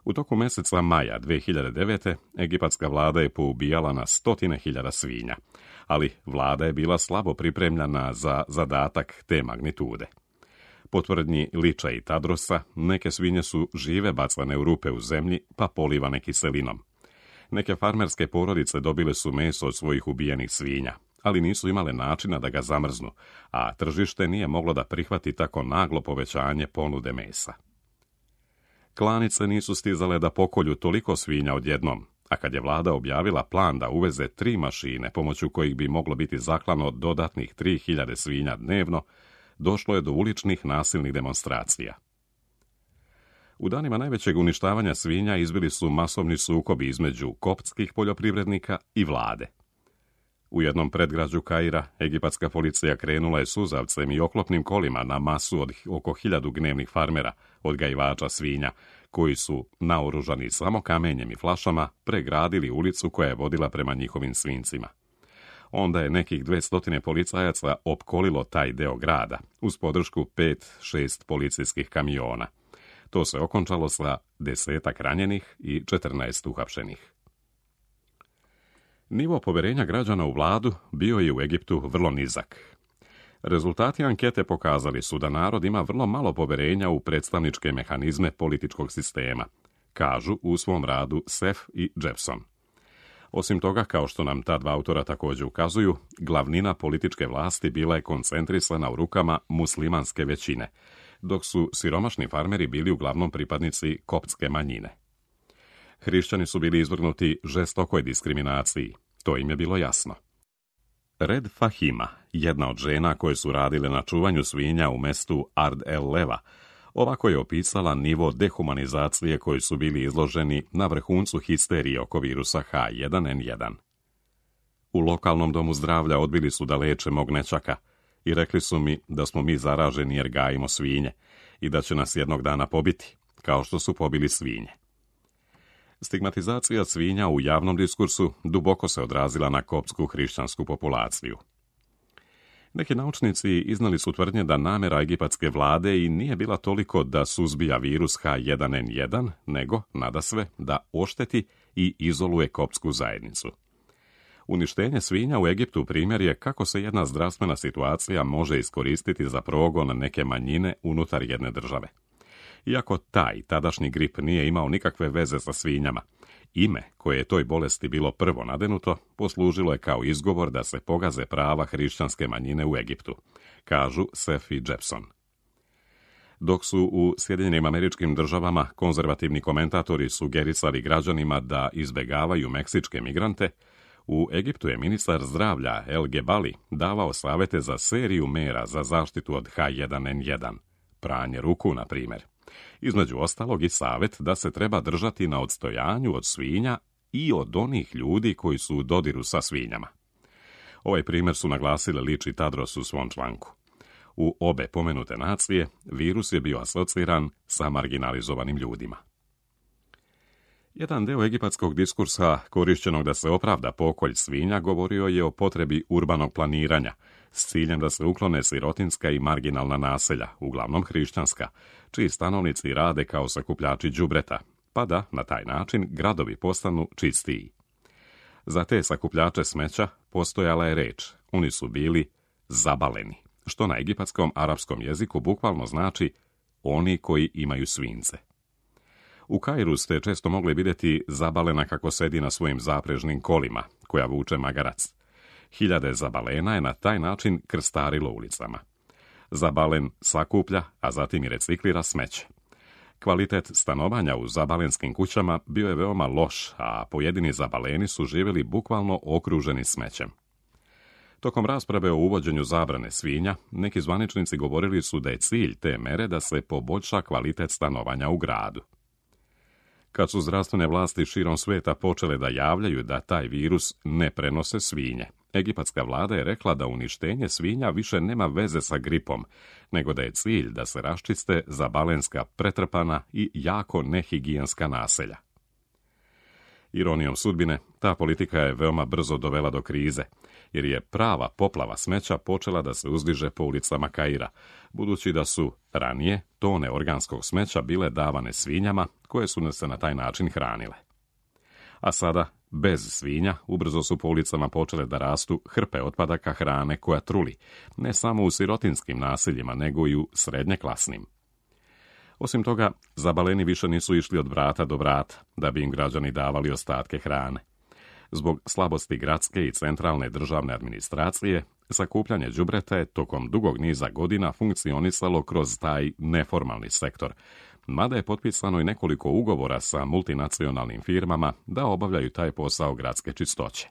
U toku mjeseca maja dve hiljade devete. egipatska vlada je poubijala na stotine hiljada svinja, ali vlada je bila slabo pripremljena za zadatak te magnitude. Po tvrdnji Liča i Tadrosa, neke svinje su žive bacane u rupe u zemlji pa polivane kiselinom. Neke farmerske porodice dobile su meso od svojih ubijenih svinja, ali nisu imale načina da ga zamrznu, a tržište nije moglo da prihvati tako naglo povećanje ponude mesa. Klanice nisu stizale da pokolju toliko svinja odjednom, a kad je vlada objavila plan da uveze tri mašine pomoću kojih bi moglo biti zaklano dodatnih tri hiljade svinja dnevno, došlo je do uličnih nasilnih demonstracija. U danima najvećeg uništavanja svinja izbili su masovni sukobi između koptskih poljoprivrednika i vlade. U jednom predgrađu Kaira, egipatska policija krenula je suzavcem i oklopnim kolima na masu od oko hiljadu gnevnih farmera, odgajivača svinja, koji su, naoružani samo kamenjem i flašama, pregradili ulicu koja je vodila prema njihovim svinjcima. Onda je nekih dvestotine policajaca opkolilo taj deo grada, uz podršku pet šest policijskih kamiona. To se okončalo sa desetak ranjenih i četrnaest uhapšenih. Nivo poverenja građana u vladu bio je u Egiptu vrlo nizak. Rezultati ankete pokazali su da narod ima vrlo malo poverenja u predstavničke mehanizme političkog sistema, kažu u svom radu Sef i Jepson. Osim toga, kao što nam ta dva autora također ukazuju, glavnina političke vlasti bila je koncentrisana u rukama muslimanske većine, dok su siromašni farmeri bili uglavnom pripadnici koptske manjine. Hrišćani su bili izvrgnuti žestokoj diskriminaciji, to im je bilo jasno. Red Fahima, jedna od žena koje su radile na čuvanju svinja u mestu Ard el Leva, ovako je opisala nivo dehumanizacije koji su bili izloženi na vrhuncu histerije oko virusa H jedan N jedan. U lokalnom domu zdravlja odbili su da leče mog nećaka i rekli su mi da smo mi zaraženi jer gajimo svinje i da će nas jednog dana pobiti, kao što su pobili svinje. Stigmatizacija svinja u javnom diskursu duboko se odrazila na koptsku hrišćansku populaciju. Neki naučnici iznali su tvrdnje da namjera egipatske vlade i nije bila toliko da suzbija virus H jedan N jedan, nego, nadasve, da ošteti i izoluje koptsku zajednicu. Uništenje svinja u Egiptu primjer je kako se jedna zdravstvena situacija može iskoristiti za progon neke manjine unutar jedne države. Iako taj tadašnji grip nije imao nikakve veze sa svinjama, ime koje je toj bolesti bilo prvo nadenuto poslužilo je kao izgovor da se pogaze prava hrišćanske manjine u Egiptu, kažu Sef i Jepson. Dok su u Sjedinjenim Američkim Državama konzervativni komentatori sugerisali građanima da izbjegavaju meksičke migrante, u Egiptu je ministar zdravlja El Gebali davao savjete za seriju mera za zaštitu od H jedan N jedan, pranje ruku, na primjer, Između ostalog i savjet da se treba držati na odstojanju od svinja i od onih ljudi koji su u dodiru sa svinjama. Ovaj primjer su naglasili Lič i Tadros u svom članku. U obe pomenute nacije virus je bio asociran sa marginalizovanim ljudima. Jedan deo egipatskog diskursa, korišćenog da se opravda pokolj svinja, govorio je o potrebi urbanog planiranja, s ciljem da se uklone sirotinska i marginalna naselja, uglavnom hrišćanska, čiji stanovnici rade kao sakupljači đubreta, pa da, na taj način, gradovi postanu čistiji. Za te sakupljače smeća postojala je reč, oni su bili zabaleni, što na egipatskom arapskom jeziku bukvalno znači oni koji imaju svinjce. U Kairu ste često mogli vidjeti zabalena kako sedi na svojim zaprežnim kolima, koja vuče magarac. Hiljade zabalena je na taj način krstarilo ulicama. Zabalen sakuplja, a zatim i reciklira smeće. Kvalitet stanovanja u zabalenskim kućama bio je veoma loš, a pojedini zabaleni su živjeli bukvalno okruženi smećem. Tokom rasprave o uvođenju zabrane svinja, neki zvaničnici govorili su da je cilj te mere da se poboljša kvalitet stanovanja u gradu. Kad su zdravstvene vlasti širom svijeta počele da javljaju da taj virus ne prenose svinje, egipatska vlada je rekla da uništenje svinja više nema veze sa gripom, nego da je cilj da se raščiste zabalenska pretrpana i jako nehigijenska naselja. Ironijom sudbine, ta politika je veoma brzo dovela do krize, jer je prava poplava smeća počela da se uzdiže po ulicama Kaira, budući da su ranije tone organskog smeća bile davane svinjama, koje su se na taj način hranile. A sada, bez svinja, ubrzo su po ulicama počele da rastu hrpe otpadaka hrane koja truli, ne samo u sirotinskim naseljima, nego i u srednjeklasnim. Osim toga, zabaleni više nisu išli od vrata do vrata, da bi im građani davali ostatke hrane. Zbog slabosti gradske i centralne državne administracije, sakupljanje đubreta je tokom dugog niza godina funkcionisalo kroz taj neformalni sektor, mada je potpisano i nekoliko ugovora sa multinacionalnim firmama da obavljaju taj posao gradske čistoće.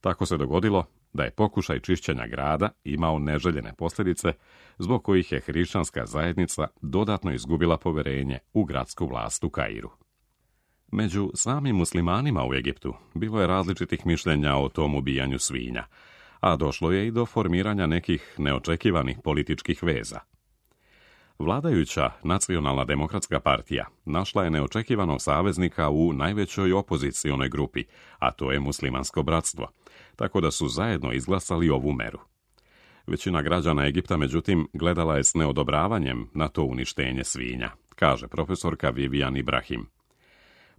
Tako se dogodilo da je pokušaj čišćenja grada imao neželjene posljedice, zbog kojih je hrišćanska zajednica dodatno izgubila poverenje u gradsku vlast u Kairu. Među samim muslimanima u Egiptu bilo je različitih mišljenja o tom ubijanju svinja, a došlo je i do formiranja nekih neočekivanih političkih veza. Vladajuća Nacionalna demokratska partija našla je neočekivanog saveznika u najvećoj opozicionoj grupi, a to je Muslimansko bratstvo, tako da su zajedno izglasali ovu meru. Većina građana Egipta, međutim, gledala je s neodobravanjem na to uništenje svinja, kaže profesorka Vivian Ibrahim.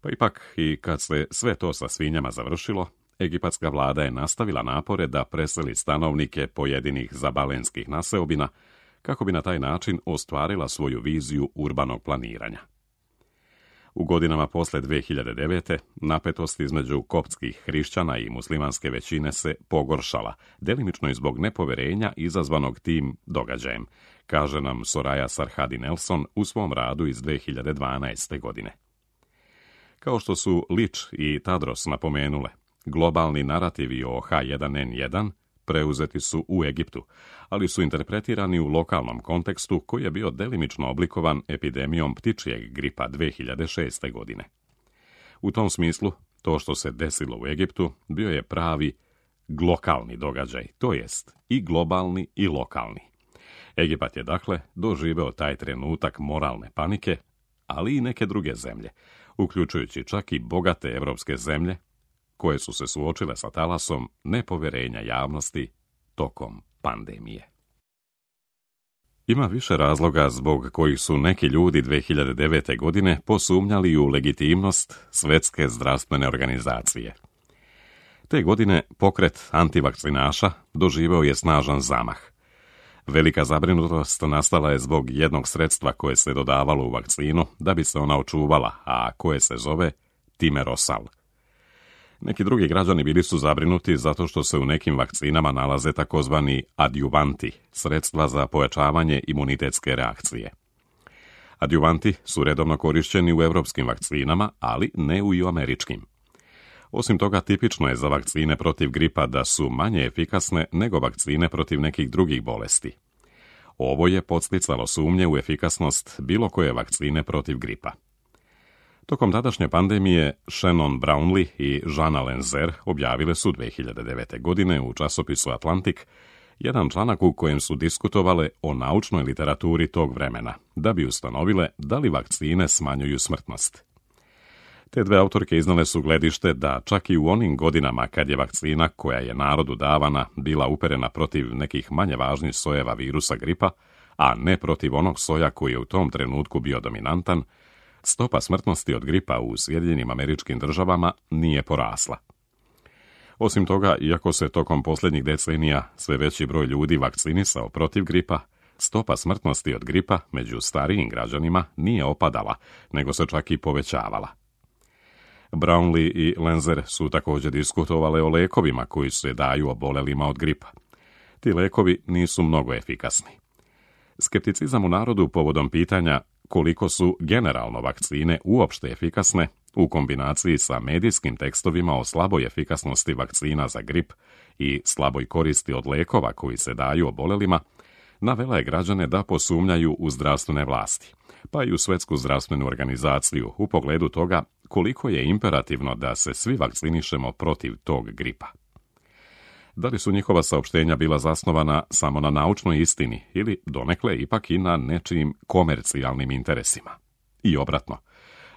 Pa ipak, i kad se sve to sa svinjama završilo, egipatska vlada je nastavila napore da preseli stanovnike pojedinih zabalenskih naseobina, kako bi na taj način ostvarila svoju viziju urbanog planiranja. U godinama posle dve hiljade devete napetost između koptskih hrišćana i muslimanske većine se pogoršala, delimično i zbog nepoverenja izazvanog tim događajem, kaže nam Soraya Sarhadi Nelson u svom radu iz dve hiljade dvanaeste. godine. Kao što su Lič i Tadros napomenule, globalni narativi o H jedan N jedan preuzeti su u Egiptu, ali su interpretirani u lokalnom kontekstu koji je bio delimično oblikovan epidemijom ptičjeg gripa dve hiljade šeste. godine. U tom smislu, to što se desilo u Egiptu bio je pravi glokalni događaj, to jest i globalni i lokalni. Egipat je dakle doživeo taj trenutak moralne panike, ali i neke druge zemlje, uključujući čak i bogate evropske zemlje, koje su se suočile sa talasom nepoverenja javnosti tokom pandemije. Ima više razloga zbog kojih su neki ljudi dve hiljade devete. godine posumnjali u legitimnost Svjetske zdravstvene organizacije. Te godine pokret antivakcinaša doživeo je snažan zamah. Velika zabrinutost nastala je zbog jednog sredstva koje se dodavalo u vakcinu da bi se ona očuvala, a koje se zove timerosal. Neki drugi građani bili su zabrinuti zato što se u nekim vakcinama nalaze takozvani adjuvanti, sredstva za pojačavanje imunitetske reakcije. Adjuvanti su redovno korišćeni u evropskim vakcinama, ali ne u i američkim. Osim toga, tipično je za vakcine protiv gripa da su manje efikasne nego vakcine protiv nekih drugih bolesti. Ovo je podsticalo sumnje u efikasnost bilo koje vakcine protiv gripa. Tokom tadašnje pandemije Shannon Brownlee i Jana Lenzer objavile su dve hiljade devete. godine u časopisu Atlantic jedan članak u kojem su diskutovale o naučnoj literaturi tog vremena, da bi ustanovile da li vakcine smanjuju smrtnost. Te dve autorke iznale su gledište da čak i u onim godinama kad je vakcina koja je narodu davana bila uperena protiv nekih manje važnih sojeva virusa gripa, a ne protiv onog soja koji je u tom trenutku bio dominantan, stopa smrtnosti od gripa u Sjedinjenim Američkim Državama nije porasla. Osim toga, iako se tokom posljednjih decenija sve veći broj ljudi vakcinisao protiv gripa, stopa smrtnosti od gripa među starijim građanima nije opadala, nego se čak i povećavala. Brownlee i Lenzer su također diskutovale o lekovima koji se daju obolelima od gripa. Ti lekovi nisu mnogo efikasni. Skepticizam u narodu povodom pitanja koliko su generalno vakcine uopšte efikasne, u kombinaciji sa medijskim tekstovima o slaboj efikasnosti vakcina za grip i slaboj koristi od lekova koji se daju obolelima, navela je građane da posumnjaju u zdravstvene vlasti, pa i u Svjetsku zdravstvenu organizaciju u pogledu toga koliko je imperativno da se svi vakcinišemo protiv tog gripa. Da li su njihova saopštenja bila zasnovana samo na naučnoj istini ili donekle ipak i na nečijim komercijalnim interesima? I obratno,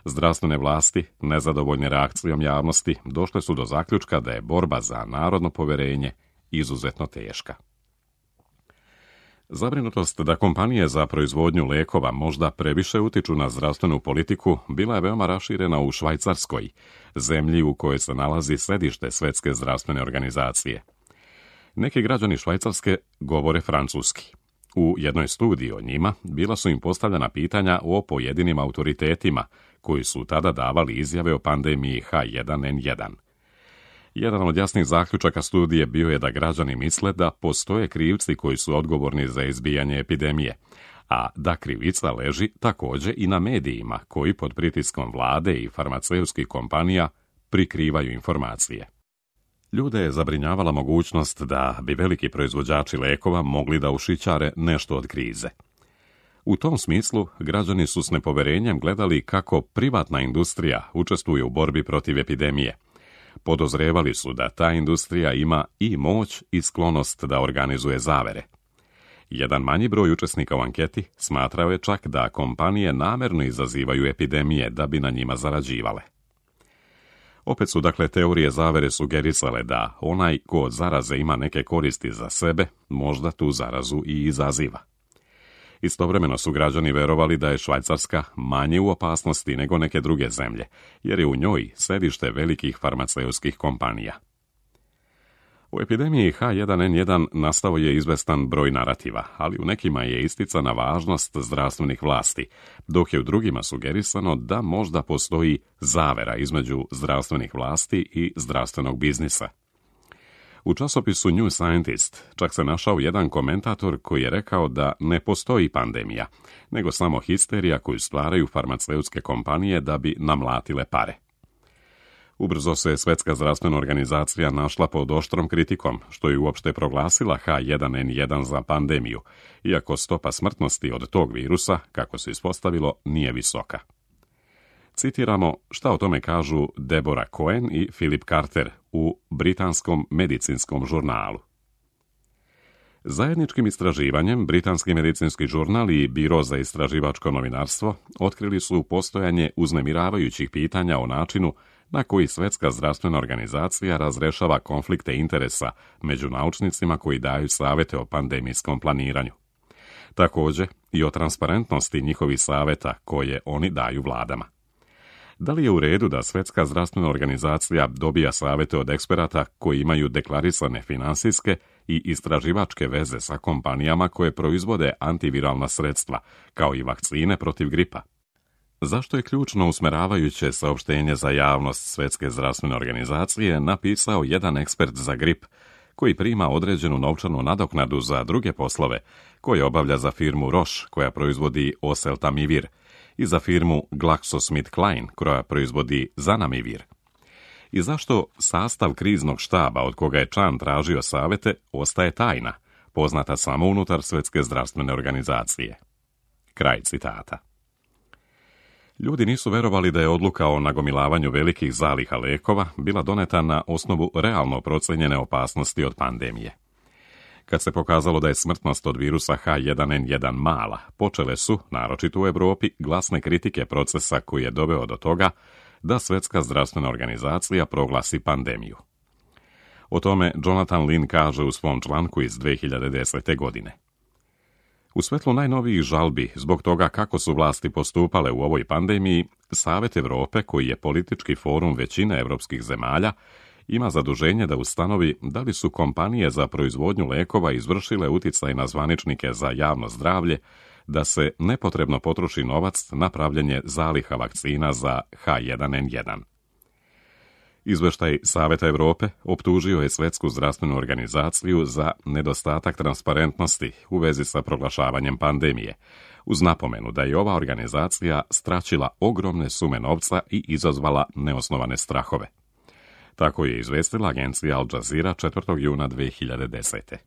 zdravstvene vlasti, nezadovoljne reakcijom javnosti, došle su do zaključka da je borba za narodno poverenje izuzetno teška. Zabrinutost da kompanije za proizvodnju lekova možda previše utiču na zdravstvenu politiku bila je veoma raširena u Švajcarskoj, zemlji u kojoj se nalazi središte Svjetske zdravstvene organizacije. Neki građani Švajcarske govore francuski. U jednoj studiji o njima bila su im postavljena pitanja o pojedinim autoritetima koji su tada davali izjave o pandemiji H jedan N jedan. Jedan od jasnih zaključaka studije bio je da građani misle da postoje krivci koji su odgovorni za izbijanje epidemije, a da krivica leži također i na medijima koji pod pritiskom vlade i farmaceutskih kompanija prikrivaju informacije. Ljude je zabrinjavala mogućnost da bi veliki proizvođači lekova mogli da ušićare nešto od krize. U tom smislu, građani su s nepoverenjem gledali kako privatna industrija učestvuje u borbi protiv epidemije. Podozrevali su da ta industrija ima i moć i sklonost da organizuje zavere. Jedan manji broj učesnika u anketi smatrao je čak da kompanije namerno izazivaju epidemije da bi na njima zarađivale. Opet su dakle teorije zavere sugerisale da onaj ko od zaraze ima neke koristi za sebe, možda tu zarazu i izaziva. Istovremeno su građani verovali da je Švajcarska manje u opasnosti nego neke druge zemlje, jer je u njoj središte velikih farmaceutskih kompanija. U epidemiji H jedan N jedan nastao je izvestan broj narativa, ali u nekima je isticana važnost zdravstvenih vlasti, dok je u drugima sugerisano da možda postoji zavera između zdravstvenih vlasti i zdravstvenog biznisa. U časopisu New Scientist čak se našao jedan komentator koji je rekao da ne postoji pandemija, nego samo histerija koju stvaraju farmaceutske kompanije da bi namlatile pare. Ubrzo se Svjetska zdravstvena organizacija našla pod oštrom kritikom, što je uopšte proglasila H jedan N jedan za pandemiju, iako stopa smrtnosti od tog virusa, kako se ispostavilo, nije visoka. Citiramo šta o tome kažu Deborah Cohen i Philip Carter u britanskom medicinskom žurnalu. Zajedničkim istraživanjem Britanski medicinski žurnal i Biro za istraživačko novinarstvo otkrili su postojanje uznemiravajućih pitanja o načinu na koji Svjetska zdravstvena organizacija razrešava konflikte interesa među naučnicima koji daju savjete o pandemijskom planiranju. Također i o transparentnosti njihovih savjeta koje oni daju vladama. Da li je u redu da Svjetska zdravstvena organizacija dobija savjete od eksperata koji imaju deklarisane finansijske i istraživačke veze sa kompanijama koje proizvode antiviralna sredstva, kao i vakcine protiv gripa? Zašto je ključno usmeravajuće saopštenje za javnost Svjetske zdravstvene organizacije napisao jedan ekspert za grip, koji prima određenu novčanu nadoknadu za druge poslove, koje obavlja za firmu Roche, koja proizvodi oseltamivir, i za firmu GlaxoSmithKline, koja proizvodi zanamivir? I zašto sastav kriznog štaba od koga je Chan tražio savjete ostaje tajna, poznata samo unutar Svjetske zdravstvene organizacije. Kraj citata. Ljudi nisu verovali da je odluka o nagomilavanju velikih zaliha lekova bila doneta na osnovu realno procenjene opasnosti od pandemije. Kad se pokazalo da je smrtnost od virusa H jedan N jedan mala, počele su, naročito u Europi, glasne kritike procesa koji je doveo do toga da Svjetska zdravstvena organizacija proglasi pandemiju. O tome Jonathan Lin kaže u svom članku iz dve hiljade desete. godine. U svetlu najnovijih žalbi zbog toga kako su vlasti postupale u ovoj pandemiji, Savet Europe, koji je politički forum većine evropskih zemalja, ima zaduženje da ustanovi da li su kompanije za proizvodnju lekova izvršile uticaj na zvaničnike za javno zdravlje da se nepotrebno potroši novac na pravljenje zaliha vakcina za H jedan N jedan. Izveštaj Saveta Europe optužio je Svjetsku zdravstvenu organizaciju za nedostatak transparentnosti u vezi sa proglašavanjem pandemije, uz napomenu da je ova organizacija straćila ogromne sume novca i izazvala neosnovane strahove. Tako je izvestila agencija Al Jazeera četvrtog juna dve hiljade desete.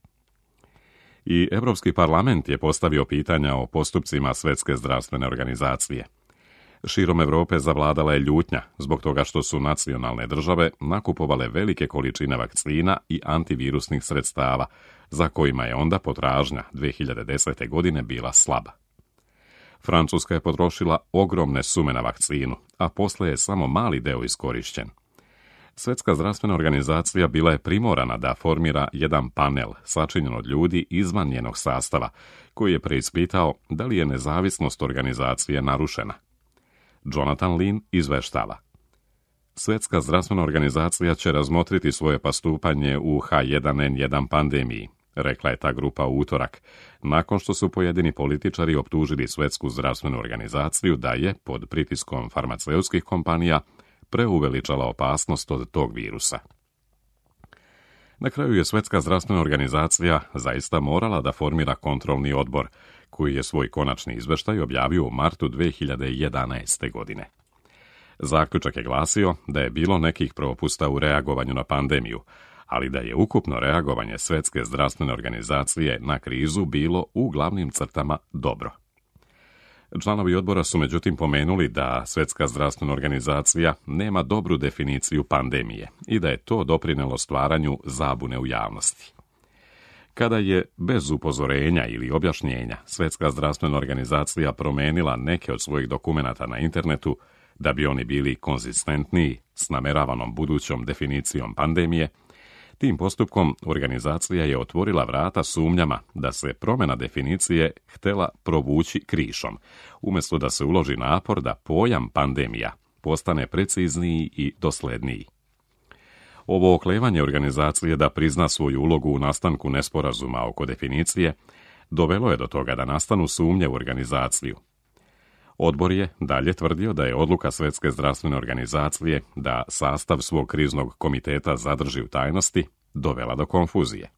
I Europski parlament je postavio pitanja o postupcima Svjetske zdravstvene organizacije. Širom Europe zavladala je ljutnja zbog toga što su nacionalne države nakupovale velike količine vakcina i antivirusnih sredstava, za kojima je onda potražnja dve hiljade desete. godine bila slaba. Francuska je potrošila ogromne sume na vakcinu, a posle je samo mali deo iskorišćen. Svjetska zdravstvena organizacija bila je primorana da formira jedan panel sačinjen od ljudi izvan njenog sastava, koji je preispitao da li je nezavisnost organizacije narušena. Jonathan Lin izveštava. Svjetska zdravstvena organizacija će razmotriti svoje postupanje u H jedan N jedan pandemiji, rekla je ta grupa u utorak, nakon što su pojedini političari optužili Svjetsku zdravstvenu organizaciju da je, pod pritiskom farmaceutskih kompanija, preuveličala opasnost od tog virusa. Na kraju je Svjetska zdravstvena organizacija zaista morala da formira kontrolni odbor, koji je svoj konačni izveštaj objavio u martu dve hiljade jedanaeste. godine. Zaključak je glasio da je bilo nekih propusta u reagovanju na pandemiju, ali da je ukupno reagovanje Svjetske zdravstvene organizacije na krizu bilo u glavnim crtama dobro. Članovi odbora su međutim pomenuli da Svjetska zdravstvena organizacija nema dobru definiciju pandemije i da je to doprinelo stvaranju zabune u javnosti. Kada je, bez upozorenja ili objašnjenja, Svjetska zdravstvena organizacija promenila neke od svojih dokumenata na internetu da bi oni bili konzistentniji s nameravanom budućom definicijom pandemije, tim postupkom organizacija je otvorila vrata sumnjama da se promjena definicije htela provući krišom, umjesto da se uloži napor da pojam pandemija postane precizniji i dosledniji. Ovo oklevanje organizacije da prizna svoju ulogu u nastanku nesporazuma oko definicije dovelo je do toga da nastanu sumnje u organizaciju. Odbor je dalje tvrdio da je odluka Svjetske zdravstvene organizacije da sastav svog kriznog komiteta zadrži u tajnosti dovela do konfuzije.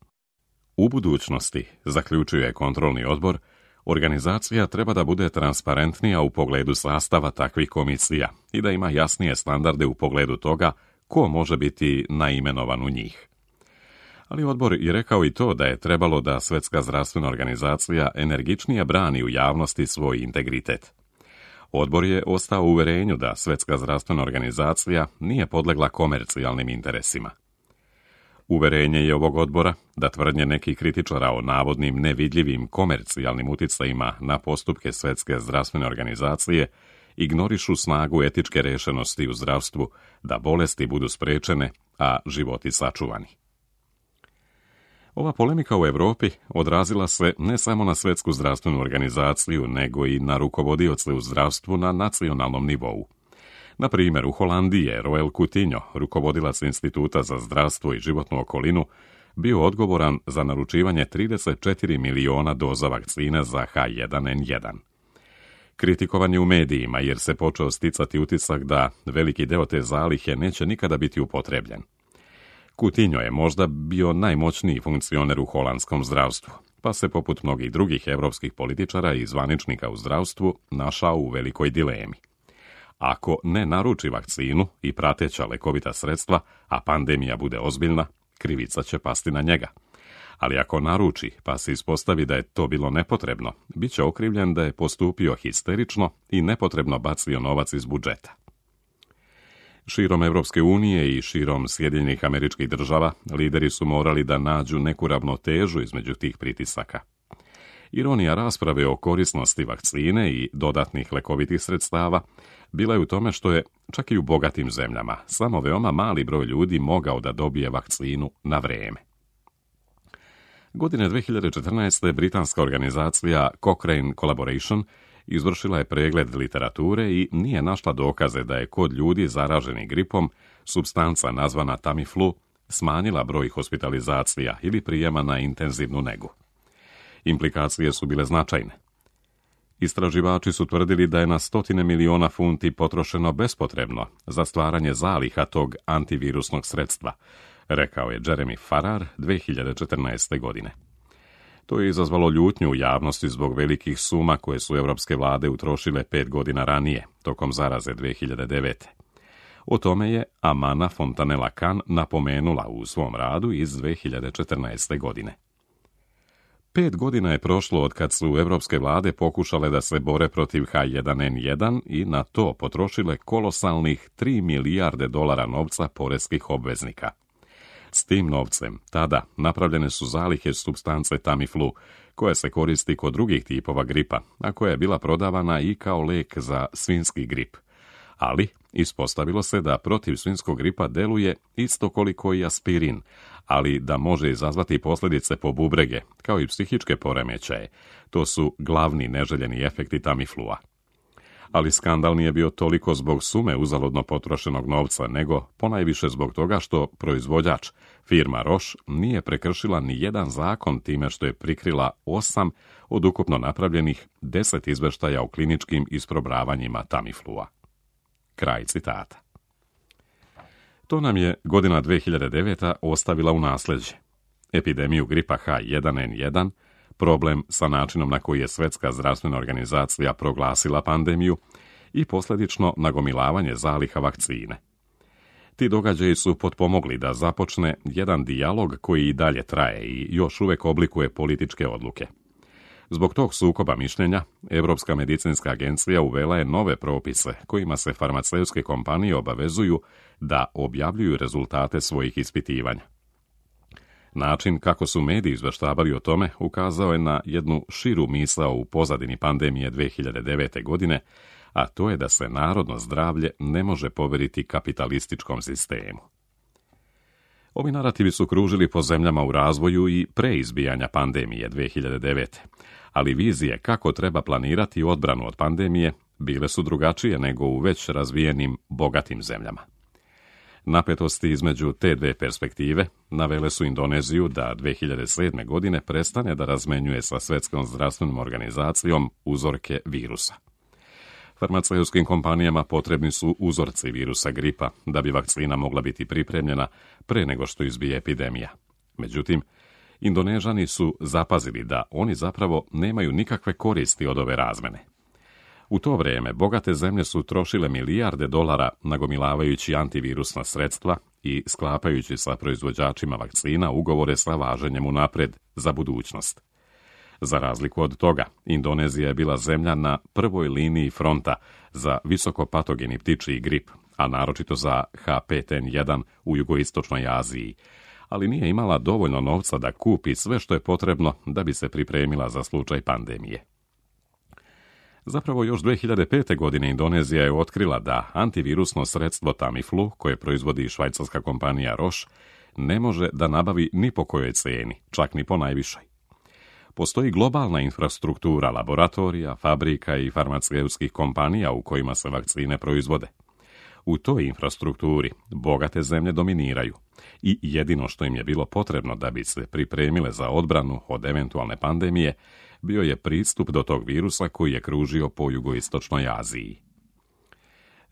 U budućnosti, zaključuje kontrolni odbor, organizacija treba da bude transparentnija u pogledu sastava takvih komisija i da ima jasnije standarde u pogledu toga ko može biti naimenovan u njih. Ali odbor je rekao i to da je trebalo da Svjetska zdravstvena organizacija energičnije brani u javnosti svoj integritet. Odbor je ostao u uverenju da Svjetska zdravstvena organizacija nije podlegla komercijalnim interesima. Uverenje je ovog odbora da tvrdnje nekih kritičara o navodnim nevidljivim komercijalnim uticajima na postupke Svjetske zdravstvene organizacije ignorišu snagu etičke rešenosti u zdravstvu da bolesti budu sprečene, a životi sačuvani. Ova polemika u Europi odrazila se ne samo na Svjetsku zdravstvenu organizaciju, nego i na rukovodioce u zdravstvu na nacionalnom nivou. Na primjer, u Holandiji je Roel Coutinho, rukovodilac Instituta za zdravstvo i životnu okolinu, bio odgovoran za naručivanje trideset četiri miliona doza vakcina za H jedan N jedan. Kritikovan je u medijima jer se počeo sticati utisak da veliki deo te zalihe neće nikada biti upotrebljen. Coutinho je možda bio najmoćniji funkcioner u holandskom zdravstvu, pa se poput mnogih drugih evropskih političara i zvaničnika u zdravstvu našao u velikoj dilemi. Ako ne naruči vakcinu i prateća lekovita sredstva, a pandemija bude ozbiljna, krivica će pasti na njega. Ali ako naruči pa se ispostavi da je to bilo nepotrebno, bit će okrivljen da je postupio histerično i nepotrebno bacio novac iz budžeta. Širom Evropske unije i širom Sjedinjenih Američkih Država lideri su morali da nađu neku ravnotežu između tih pritisaka. Ironija rasprave o korisnosti vakcine i dodatnih lekovitih sredstava bila je u tome što je, čak i u bogatim zemljama, samo veoma mali broj ljudi mogao da dobije vakcinu na vreme. Godine dve hiljade četrnaeste. britanska organizacija Cochrane Collaboration izvršila je pregled literature i nije našla dokaze da je kod ljudi zaraženih gripom supstanca nazvana Tamiflu smanjila broj hospitalizacija ili prijema na intenzivnu negu. Implikacije su bile značajne. Istraživači su tvrdili da je na stotine miliona funti potrošeno bespotrebno za stvaranje zaliha tog antivirusnog sredstva, rekao je Jeremy Farrar dve hiljade četrnaeste. godine. To je izazvalo ljutnju u javnosti zbog velikih suma koje su evropske vlade utrošile pet godina ranije, tokom zaraze dve hiljade devete. O tome je Amana Fontanella-Cahn napomenula u svom radu iz dve hiljade četrnaeste. godine. Pet godina je prošlo od kad su evropske vlade pokušale da se bore protiv H jedan N jedan i na to potrošile kolosalnih tri milijarde dolara novca poreskih obveznika. S tim novcem tada napravljene su zalihe supstance Tamiflu, koja se koristi kod drugih tipova gripa, a koja je bila prodavana i kao lek za svinjski grip. Ali ispostavilo se da protiv svinjskog gripa deluje isto koliko i aspirin, ali da može izazvati posljedice po bubrege, kao i psihičke poremećaje. To su glavni neželjeni efekti Tamiflua. Ali skandal nije bio toliko zbog sume uzaludno potrošenog novca, nego ponajviše zbog toga što proizvođač, firma Roche, nije prekršila ni jedan zakon time što je prikrila osam od ukupno napravljenih deset izveštaja o kliničkim isprobravanjima Tamiflua. Kraj citata. To nam je godina dve hiljade deveta. ostavila u nasljeđe. Epidemiju gripa H jedan N jedan, problem sa načinom na koji je Svjetska zdravstvena organizacija proglasila pandemiju i posljedično nagomilavanje zaliha vakcine. Ti događaji su potpomogli da započne jedan dijalog koji i dalje traje i još uvijek oblikuje političke odluke. Zbog tog sukoba mišljenja, Europska medicinska agencija uvela je nove propise kojima se farmaceutske kompanije obavezuju da objavljuju rezultate svojih ispitivanja. Način kako su mediji izveštavali o tome ukazao je na jednu širu misao u pozadini pandemije dve hiljade devete. godine, a to je da se narodno zdravlje ne može poveriti kapitalističkom sistemu. Ovi narativi su kružili po zemljama u razvoju i pre izbijanja pandemije dve hiljade devete. Ali vizije kako treba planirati odbranu od pandemije bile su drugačije nego u već razvijenim bogatim zemljama. Napetosti između te dve perspektive navele su Indoneziju da dve hiljade sedme. godine prestane da razmenjuje sa Svjetskom zdravstvenom organizacijom uzorke virusa. Farmaceutskim kompanijama potrebni su uzorci virusa gripa da bi vakcina mogla biti pripremljena pre nego što izbije epidemija. Međutim, Indonežani su zapazili da oni zapravo nemaju nikakve koristi od ove razmene. U to vrijeme bogate zemlje su trošile milijarde dolara nagomilavajući antivirusna sredstva i sklapajući sa proizvođačima vakcina ugovore sa važenjem unapred za budućnost. Za razliku od toga, Indonezija je bila zemlja na prvoj liniji fronta za visokopatogeni ptičji grip, a naročito za H pet N jedan u jugoistočnoj Aziji, ali nije imala dovoljno novca da kupi sve što je potrebno da bi se pripremila za slučaj pandemije. Zapravo još dve hiljade pete. godine Indonezija je otkrila da antivirusno sredstvo Tamiflu, koje proizvodi švajcarska kompanija Roche, ne može da nabavi ni po kojoj cijeni, čak ni po najvišoj. Postoji globalna infrastruktura laboratorija, fabrika i farmaceutskih kompanija u kojima se vakcine proizvode. U toj infrastrukturi bogate zemlje dominiraju i jedino što im je bilo potrebno da bi se pripremile za odbranu od eventualne pandemije bio je pristup do tog virusa koji je kružio po jugoistočnoj Aziji.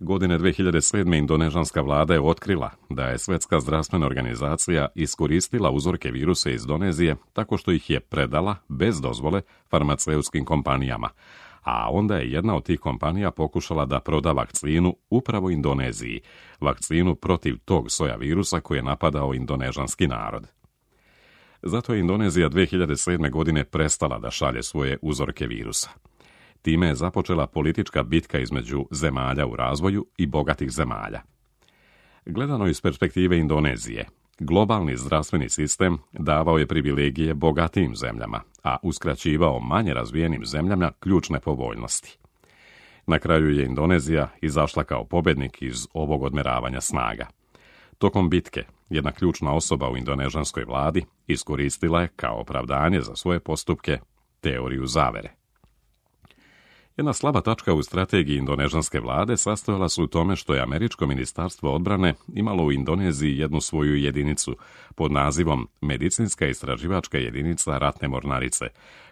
Godine dve hiljade sedme. indonežanska vlada je otkrila da je Svjetska zdravstvena organizacija iskoristila uzorke virusa iz Indonezije tako što ih je predala bez dozvole farmaceutskim kompanijama, a onda je jedna od tih kompanija pokušala da proda vakcinu upravo Indoneziji, vakcinu protiv tog soja virusa koji je napadao indonežanski narod. Zato je Indonezija dvije hiljade sedme. godine prestala da šalje svoje uzorke virusa. Time je započela politička bitka između zemalja u razvoju i bogatih zemalja. Gledano iz perspektive Indonezije, globalni zdravstveni sistem davao je privilegije bogatijim zemljama, a uskraćivao manje razvijenim zemljama ključne povoljnosti. Na kraju je Indonezija izašla kao pobjednik iz ovog odmeravanja snaga. Tokom bitke, jedna ključna osoba u indonežanskoj vladi iskoristila je kao opravdanje za svoje postupke teoriju zavere. Jedna slaba tačka u strategiji indonežanske vlade sastojala se u tome što je Američko ministarstvo odbrane imalo u Indoneziji jednu svoju jedinicu pod nazivom Medicinska istraživačka jedinica ratne mornarice,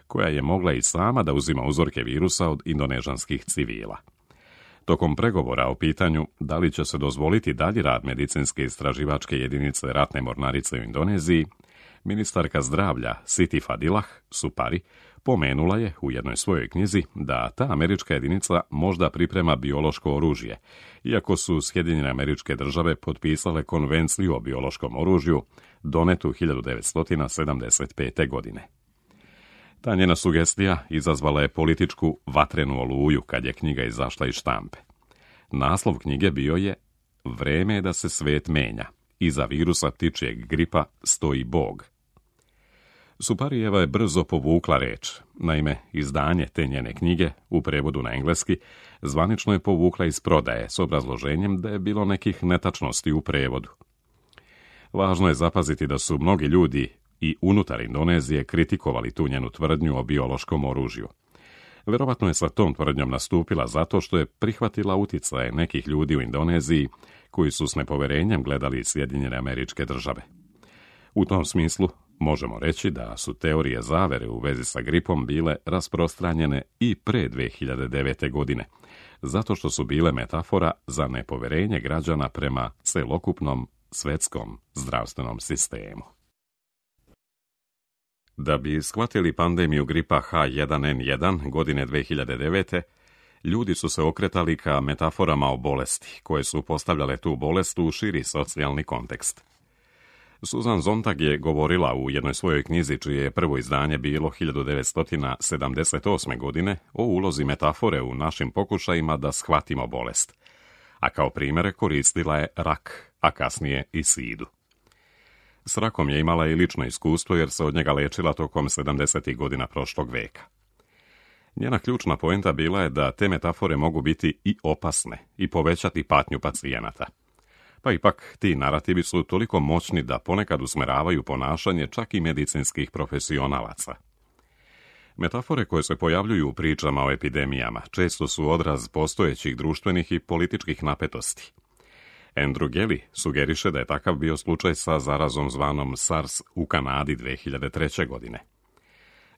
koja je mogla i sama da uzima uzorke virusa od indonežanskih civila. Tokom pregovora o pitanju da li će se dozvoliti dalji rad Medicinske istraživačke jedinice ratne mornarice u Indoneziji, ministarka zdravlja Siti Fadilah Supari pomenula je u jednoj svojoj knjizi da ta američka jedinica možda priprema biološko oružje, iako su Sjedinjene Američke Države potpisale konvenciju o biološkom oružju donetu hiljadu devetsto sedamdeset pete. godine. Ta njena sugestija izazvala je političku vatrenu oluju kad je knjiga izašla iz štampe. Naslov knjige bio je Vreme je da se svet menja. Iza virusa ptičjeg gripa stoji Bog. Suparijeva je brzo povukla reč. Naime, izdanje te njene knjige, u prevodu na engleski, zvanično je povukla iz prodaje s obrazloženjem da je bilo nekih netačnosti u prevodu. Važno je zapaziti da su mnogi ljudi i unutar Indonezije kritikovali tu njenu tvrdnju o biološkom oružju. Verovatno je sa tom tvrdnjom nastupila zato što je prihvatila uticaje nekih ljudi u Indoneziji koji su s nepoverenjem gledali Sjedinjene Američke Države. U tom smislu možemo reći da su teorije zavere u vezi sa gripom bile rasprostranjene i pre dvije hiljade devete. godine, zato što su bile metafora za nepoverenje građana prema celokupnom svetskom zdravstvenom sistemu. Da bi shvatili pandemiju gripa H jedan N jedan godine dvije hiljade devete. ljudi su se okretali ka metaforama o bolesti, koje su postavljale tu bolest u širi socijalni kontekst. Susan Sontag je govorila u jednoj svojoj knjizi, čije je prvo izdanje bilo hiljadu devetsto sedamdeset osme. godine, o ulozi metafore u našim pokušajima da shvatimo bolest. A kao primjere koristila je rak, a kasnije i sidu. S rakom je imala i lično iskustvo jer se od njega lečila tokom sedamdesetih godina prošlog veka. Njena ključna poenta bila je da te metafore mogu biti i opasne i povećati patnju pacijenata. Pa ipak ti narativi su toliko moćni da ponekad usmeravaju ponašanje čak i medicinskih profesionalaca. Metafore koje se pojavljuju u pričama o epidemijama često su odraz postojećih društvenih i političkih napetosti. Andrew Gelly sugeriše da je takav bio slučaj sa zarazom zvanom SARS u Kanadi dvije hiljade treće. godine.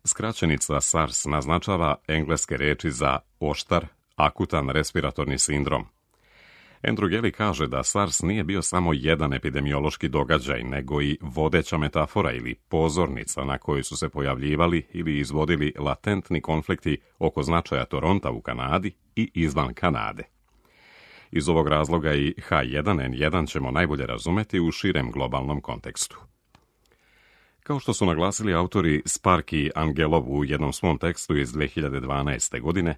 Skraćenica SARS naznačava engleske reči za oštar, akutan respiratorni sindrom. Andrew Gelly kaže da SARS nije bio samo jedan epidemiološki događaj, nego i vodeća metafora ili pozornica na kojoj su se pojavljivali ili izvodili latentni konflikti oko značaja Toronta u Kanadi i izvan Kanade. Iz ovog razloga i H jedan N jedan ćemo najbolje razumeti u širem globalnom kontekstu. Kao što su naglasili autori Spark i Angelov u jednom svom tekstu iz dvije hiljade dvanaeste. godine,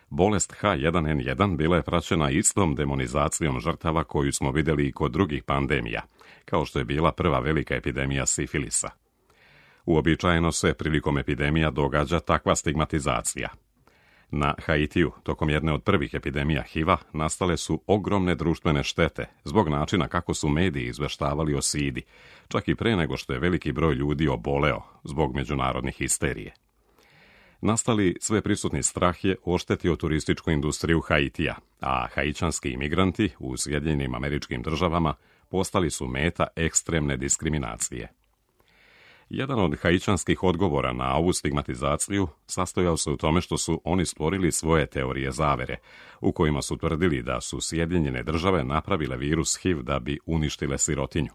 bolest H jedan N jedan bila je praćena istom demonizacijom žrtava koju smo vidjeli i kod drugih pandemija, kao što je bila prva velika epidemija sifilisa. Uobičajeno se prilikom epidemija događa takva stigmatizacija. Na Haitiju, tokom jedne od prvih epidemija H I V-a, nastale su ogromne društvene štete zbog načina kako su mediji izveštavali o sidi, čak i pre nego što je veliki broj ljudi oboleo zbog međunarodnih histerije. Nastali sveprisutni strah je oštetio turističku industriju Haitija, a haićanski imigranti u Sjedinjenim Američkim Državama postali su meta ekstremne diskriminacije. Jedan od haićanskih odgovora na ovu stigmatizaciju sastojao se u tome što su oni stvorili svoje teorije zavere, u kojima su tvrdili da su Sjedinjene Države napravile virus H I V da bi uništile sirotinju.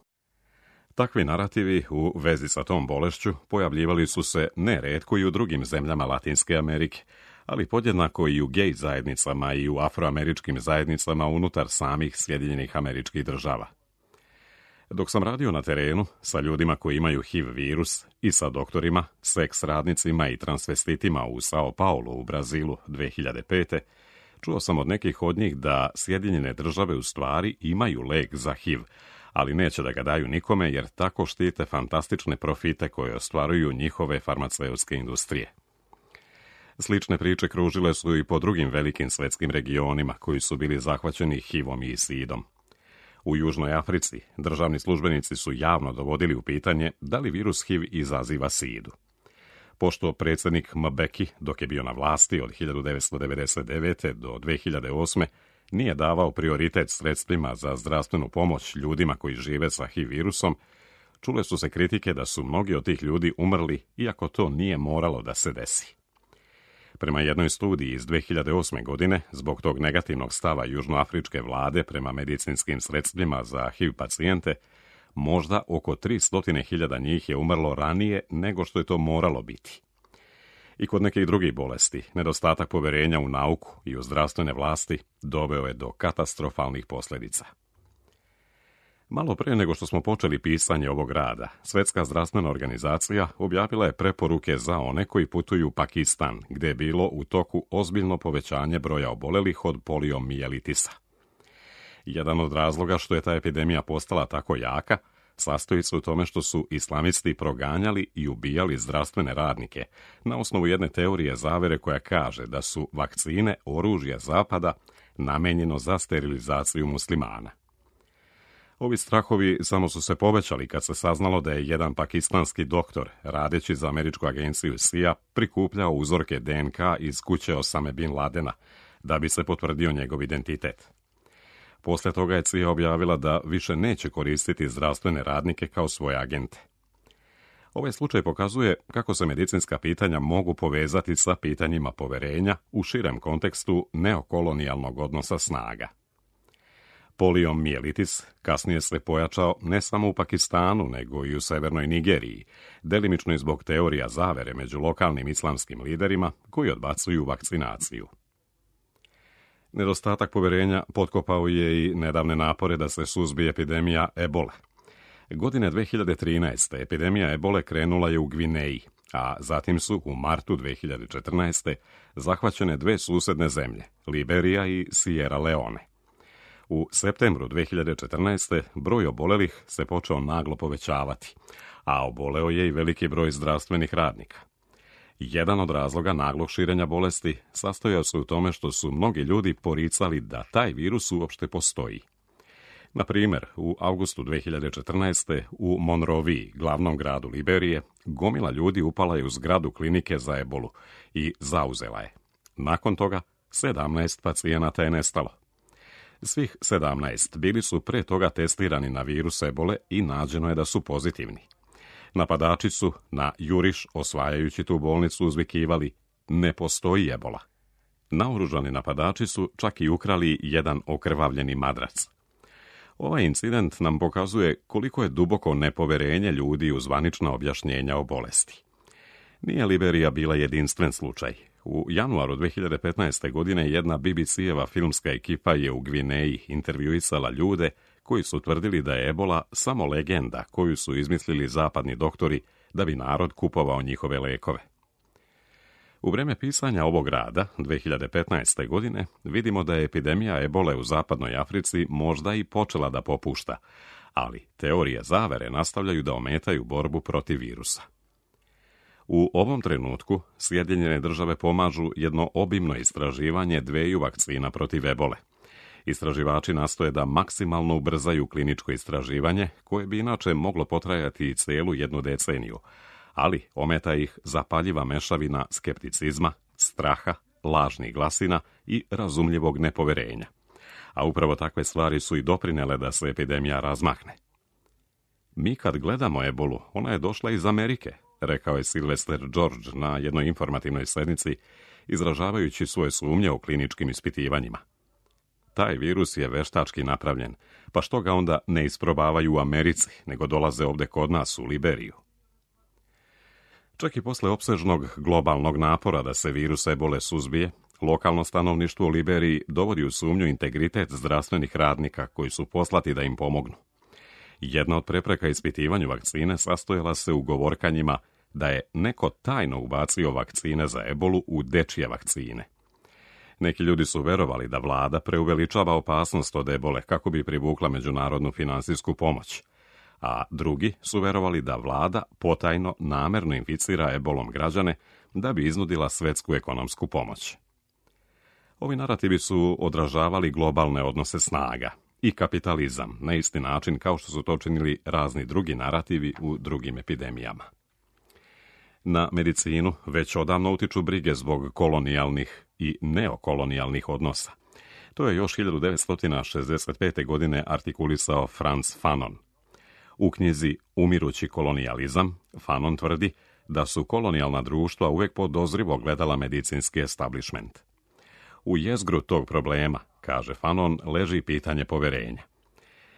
Takvi narativi u vezi sa tom bolešću pojavljivali su se neretko i u drugim zemljama Latinske Amerike, ali podjednako i u gej zajednicama i u afroameričkim zajednicama unutar samih Sjedinjenih Američkih Država. Dok sam radio na terenu sa ljudima koji imaju H I V virus i sa doktorima, seks radnicima i transvestitima u Sao Paulo u Brazilu dvije hiljade pete. čuo sam od nekih od njih da Sjedinjene države u stvari imaju lek za H I V, ali neće da ga daju nikome jer tako štite fantastične profite koje ostvaruju njihove farmaceutske industrije. Slične priče kružile su i po drugim velikim svetskim regionima koji su bili zahvaćeni H I V-om i sidom. U Južnoj Africi državni službenici su javno dovodili u pitanje da li virus H I V izaziva sidu. Pošto predsjednik Mbeki, dok je bio na vlasti od hiljadu devetsto devedeset devete. do dvije hiljade osme. nije davao prioritet sredstvima za zdravstvenu pomoć ljudima koji žive sa H I V virusom, čule su se kritike da su mnogi od tih ljudi umrli, iako to nije moralo da se desi. Prema jednoj studiji iz dvije hiljade osme. godine, zbog tog negativnog stava južnoafričke vlade prema medicinskim sredstvima za H I V pacijente, možda oko tristo hiljada njih je umrlo ranije nego što je to moralo biti. I kod nekih drugih bolesti, nedostatak poverenja u nauku i u zdravstvene vlasti doveo je do katastrofalnih posljedica. Malo pre nego što smo počeli pisanje ovog rada, Svjetska zdravstvena organizacija objavila je preporuke za one koji putuju u Pakistan, gdje je bilo u toku ozbiljno povećanje broja obolelih od poliomijelitisa. Jedan od razloga što je ta epidemija postala tako jaka sastoji se u tome što su islamisti proganjali i ubijali zdravstvene radnike na osnovu jedne teorije zavere koja kaže da su vakcine oružje Zapada namenjeno za sterilizaciju muslimana. Ovi strahovi samo su se povećali kad se saznalo da je jedan pakistanski doktor, radeći za američku agenciju C I A, prikupljao uzorke D N K iz kuće Osame Bin Ladena da bi se potvrdio njegov identitet. Poslije toga je C I A objavila da više neće koristiti zdravstvene radnike kao svoje agente. Ovaj slučaj pokazuje kako se medicinska pitanja mogu povezati sa pitanjima poverenja u širem kontekstu neokolonijalnog odnosa snaga. Poliomijelitis kasnije se pojačao ne samo u Pakistanu, nego i u severnoj Nigeriji, delimično i zbog teorija zavere među lokalnim islamskim liderima koji odbacuju vakcinaciju. Nedostatak poverenja potkopao je i nedavne napore da se suzbije epidemija ebole. Godine dvije hiljade trinaeste. epidemija ebole krenula je u Gvineji, a zatim su u martu dvije hiljade četrnaeste. zahvaćene dve susedne zemlje, Liberija i Sierra Leone. U septembru dvije hiljade četrnaeste. broj obolelih se počeo naglo povećavati, a oboleo je i veliki broj zdravstvenih radnika. Jedan od razloga naglog širenja bolesti sastojao se u tome što su mnogi ljudi poricali da taj virus uopšte postoji. Na primjer, u avgustu dvije hiljade četrnaeste. u Monroviji, glavnom gradu Liberije, gomila ljudi upala je u zgradu klinike za ebolu i zauzela je. Nakon toga, sedamnaest pacijenata je nestalo. Svih sedamnaest bili su pre toga testirani na virus ebole i nađeno je da su pozitivni. Napadači su na juriš, osvajajući tu bolnicu, uzvikivali "Ne postoji ebola". Naoružani napadači su čak i ukrali jedan okrvavljeni madrac. Ovaj incident nam pokazuje koliko je duboko nepoverenje ljudi u zvanična objašnjenja o bolesti. Nije Liberija bila jedinstven slučaj. U januaru dvije hiljade petnaeste. godine jedna B B C-eva filmska ekipa je u Gvineji intervjuisala ljude koji su tvrdili da je ebola samo legenda koju su izmislili zapadni doktori da bi narod kupovao njihove lekove. U vrijeme pisanja ovog rada, dvije hiljade petnaeste. godine, vidimo da je epidemija ebole u zapadnoj Africi možda i počela da popušta, ali teorije zavere nastavljaju da ometaju borbu protiv virusa. U ovom trenutku Sjedinjene države pomažu jedno obimno istraživanje dveju vakcina protiv ebole. Istraživači nastoje da maksimalno ubrzaju kliničko istraživanje, koje bi inače moglo potrajati i cijelu jednu deceniju, ali ometa ih zapaljiva mešavina skepticizma, straha, lažnih glasina i razumljivog nepoverenja. A upravo takve stvari su i doprinele da se epidemija razmahne. Mi kad gledamo ebolu, ona je došla iz Amerike, rekao je Sylvester George na jednoj informativnoj sednici, izražavajući svoje sumnje o kliničkim ispitivanjima. Taj virus je veštački napravljen, pa što ga onda ne isprobavaju u Americi, nego dolaze ovde kod nas u Liberiju? Čak i posle opsežnog globalnog napora da se virus ebole suzbije, lokalno stanovništvo u Liberiji dovodi u sumnju integritet zdravstvenih radnika koji su poslati da im pomognu. Jedna od prepreka ispitivanju vakcine sastojala se u govorkanjima da je neko tajno ubacio vakcine za ebolu u dečje vakcine. Neki ljudi su verovali da vlada preuveličava opasnost od ebole kako bi privukla međunarodnu finansijsku pomoć, a drugi su verovali da vlada potajno namerno inficira ebolom građane da bi iznudila svetsku ekonomsku pomoć. Ovi narativi su odražavali globalne odnose snaga i kapitalizam na isti način kao što su to činili razni drugi narativi u drugim epidemijama. Na medicinu već odavno utiču brige zbog kolonijalnih i neokolonijalnih odnosa. To je još hiljadu devetsto šezdeset pete. godine artikulisao Frantz Fanon. U knjizi Umirući kolonijalizam Fanon tvrdi da su kolonijalna društva uvek podozrivo gledala medicinski establishment. U jezgru tog problema, kaže Fanon, leži pitanje poverenja.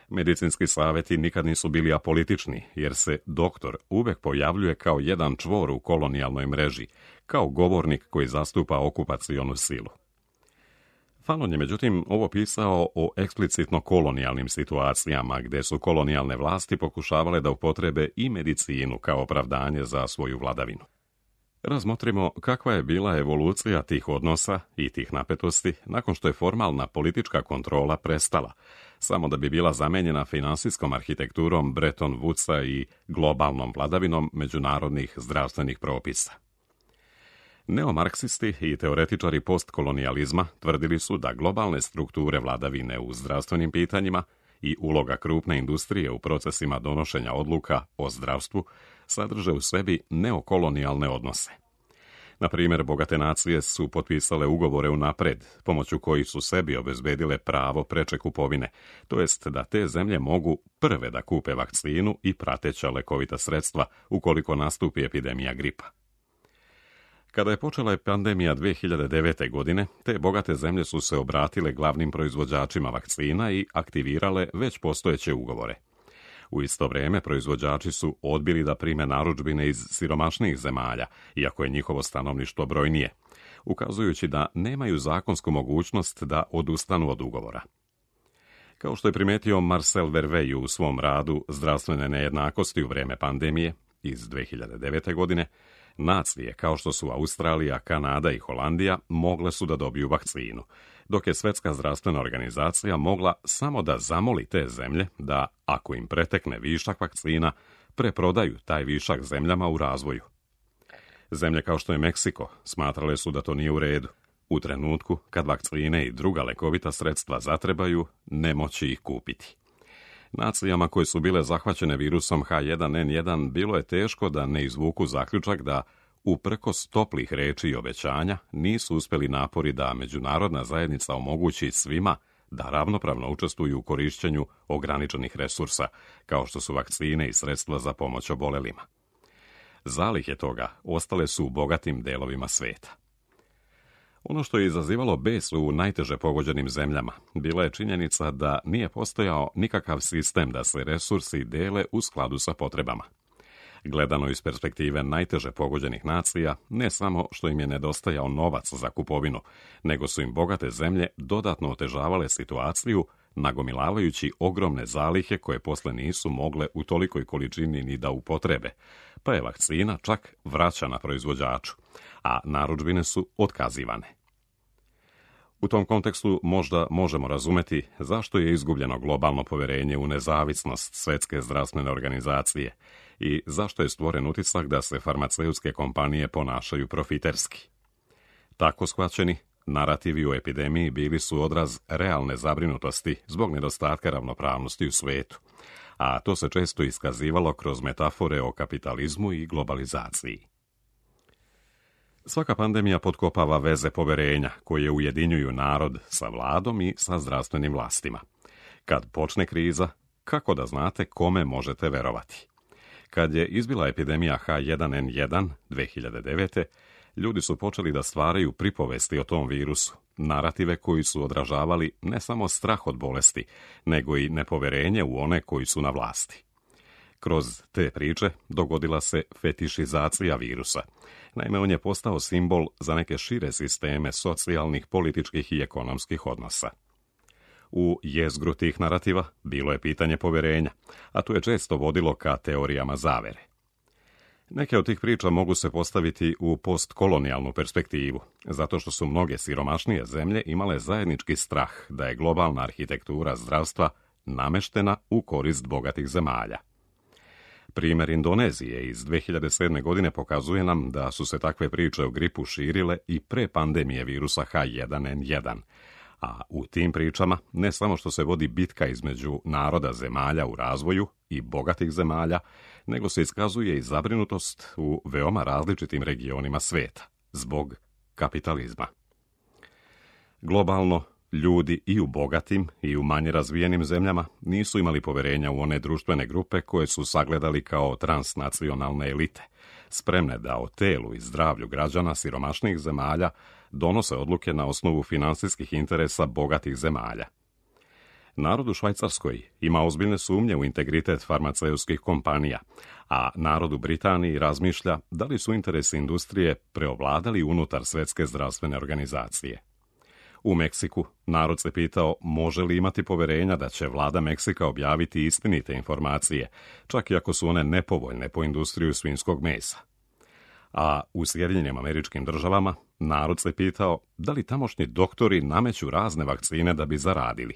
Medicinski savjeti nikad nisu bili apolitični, jer se doktor uvek pojavljuje kao jedan čvor u kolonijalnoj mreži, kao govornik koji zastupa okupacionu silu. Fanon je međutim ovo pisao o eksplicitno kolonijalnim situacijama, gde su kolonijalne vlasti pokušavale da upotrebe i medicinu kao opravdanje za svoju vladavinu. Razmotrimo kakva je bila evolucija tih odnosa i tih napetosti nakon što je formalna politička kontrola prestala, samo da bi bila zamenjena finansijskom arhitekturom Bretton Woodsa i globalnom vladavinom međunarodnih zdravstvenih propisa. Neomarksisti i teoretičari postkolonijalizma tvrdili su da globalne strukture vladavine u zdravstvenim pitanjima i uloga krupne industrije u procesima donošenja odluka o zdravstvu sadrže u sebi neokolonijalne odnose. Na primjer, bogate nacije su potpisale ugovore unapred, pomoću kojih su sebi obezbedile pravo preče kupovine, to jest da te zemlje mogu prve da kupe vakcinu i prateća lekovita sredstva ukoliko nastupi epidemija gripa. Kada je počela pandemija dve hiljade devete. godine, te bogate zemlje su se obratile glavnim proizvođačima vakcina i aktivirale već postojeće ugovore. U isto vrijeme proizvođači su odbili da prime narudžbine iz siromašnijih zemalja, iako je njihovo stanovništvo brojnije, ukazujući da nemaju zakonsku mogućnost da odustanu od ugovora. Kao što je primetio Marcel Vervey u svom radu Zdravstvene nejednakosti u vrijeme pandemije iz dve hiljade devete. godine, nacije kao što su Australija, Kanada i Holandija mogle su da dobiju vakcinu, dok je Svetska zdravstvena organizacija mogla samo da zamoli te zemlje da, ako im pretekne višak vakcina, preprodaju taj višak zemljama u razvoju. Zemlje kao što je Meksiko smatrale su da to nije u redu. U trenutku kad vakcine i druga lekovita sredstva zatrebaju, ne moći ih kupiti. Nacijama koje su bile zahvaćene virusom H jedan N jedan bilo je teško da ne izvuku zaključak da, uprkos toplih reči i obećanja, nisu uspjeli napori da međunarodna zajednica omogući svima da ravnopravno učestvuju u korišćenju ograničenih resursa, kao što su vakcine i sredstva za pomoć obolelima. Zalihe toga ostale su u bogatim delovima sveta. Ono što je izazivalo bes u najteže pogođenim zemljama bila je činjenica da nije postojao nikakav sistem da se resursi dele u skladu sa potrebama. Gledano iz perspektive najteže pogođenih nacija, ne samo što im je nedostajao novac za kupovinu, nego su im bogate zemlje dodatno otežavale situaciju, nagomilavajući ogromne zalihe koje posle nisu mogle u tolikoj količini ni da upotrebe, pa je vakcina čak vraćana proizvođaču, a narudžbine su otkazivane. U tom kontekstu možda možemo razumeti zašto je izgubljeno globalno poverenje u nezavisnost Svetske zdravstvene organizacije i zašto je stvoren utisak da se farmaceutske kompanije ponašaju profiterski. Tako shvaćeni, narativi o epidemiji bili su odraz realne zabrinutosti zbog nedostatka ravnopravnosti u svetu, a to se često iskazivalo kroz metafore o kapitalizmu i globalizaciji. Svaka pandemija potkopava veze poverenja koje ujedinjuju narod sa vladom i sa zdravstvenim vlastima. Kad počne kriza, kako da znate kome možete verovati? Kad je izbila epidemija H jedan N jedan dve hiljade devete. ljudi su počeli da stvaraju pripovesti o tom virusu, narative koji su odražavali ne samo strah od bolesti, nego i nepoverenje u one koji su na vlasti. Kroz te priče dogodila se fetišizacija virusa. Naime, on je postao simbol za neke šire sisteme socijalnih, političkih i ekonomskih odnosa. U jezgru tih narativa bilo je pitanje povjerenja, a tu je često vodilo ka teorijama zavere. Neke od tih priča mogu se postaviti u postkolonijalnu perspektivu, zato što su mnoge siromašnije zemlje imale zajednički strah da je globalna arhitektura zdravstva nameštena u korist bogatih zemalja. Primjer Indonezije iz dve hiljade sedme. godine pokazuje nam da su se takve priče o gripu širile i pre pandemije virusa H jedan N jedan, a u tim pričama ne samo što se vodi bitka između naroda zemalja u razvoju i bogatih zemalja, nego se iskazuje i zabrinutost u veoma različitim regionima sveta zbog kapitalizma. Globalno, ljudi i u bogatim i u manje razvijenim zemljama nisu imali poverenja u one društvene grupe koje su sagledali kao transnacionalne elite, spremne da o telu i zdravlju građana siromašnih zemalja donose odluke na osnovu finansijskih interesa bogatih zemalja. Narod u Švajcarskoj ima ozbiljne sumnje u integritet farmaceutskih kompanija, a narod u Britaniji razmišlja da li su interesi industrije preovladali unutar Svjetske zdravstvene organizacije. U Meksiku narod se pitao može li imati poverenja da će vlada Meksika objaviti istinite informacije, čak i ako su one nepovoljne po industriju svinjskog mesa. A u Sjedinjenim Američkim Državama narod se pitao da li tamošnji doktori nameću razne vakcine da bi zaradili.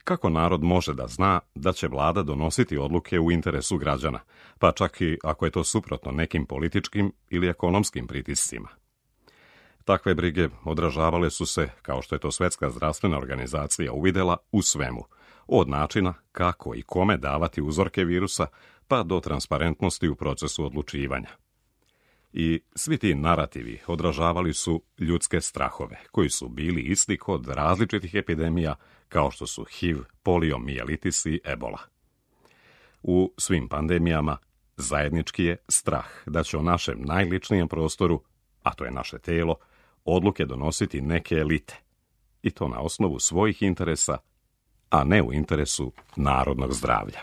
Kako narod može da zna da će vlada donositi odluke u interesu građana, pa čak i ako je to suprotno nekim političkim ili ekonomskim pritiscima? Takve brige odražavale su se, kao što je to Svjetska zdravstvena organizacija uvidela, u svemu, od načina kako i kome davati uzorke virusa, pa do transparentnosti u procesu odlučivanja. I svi ti narativi odražavali su ljudske strahove, koji su bili isti kod različitih epidemija, kao što su H I V, poliomijelitis i ebola. U svim pandemijama zajednički je strah da će o našem najličnijem prostoru, a to je naše telo, odluke donositi neke elite, i to na osnovu svojih interesa, a ne u interesu narodnog zdravlja.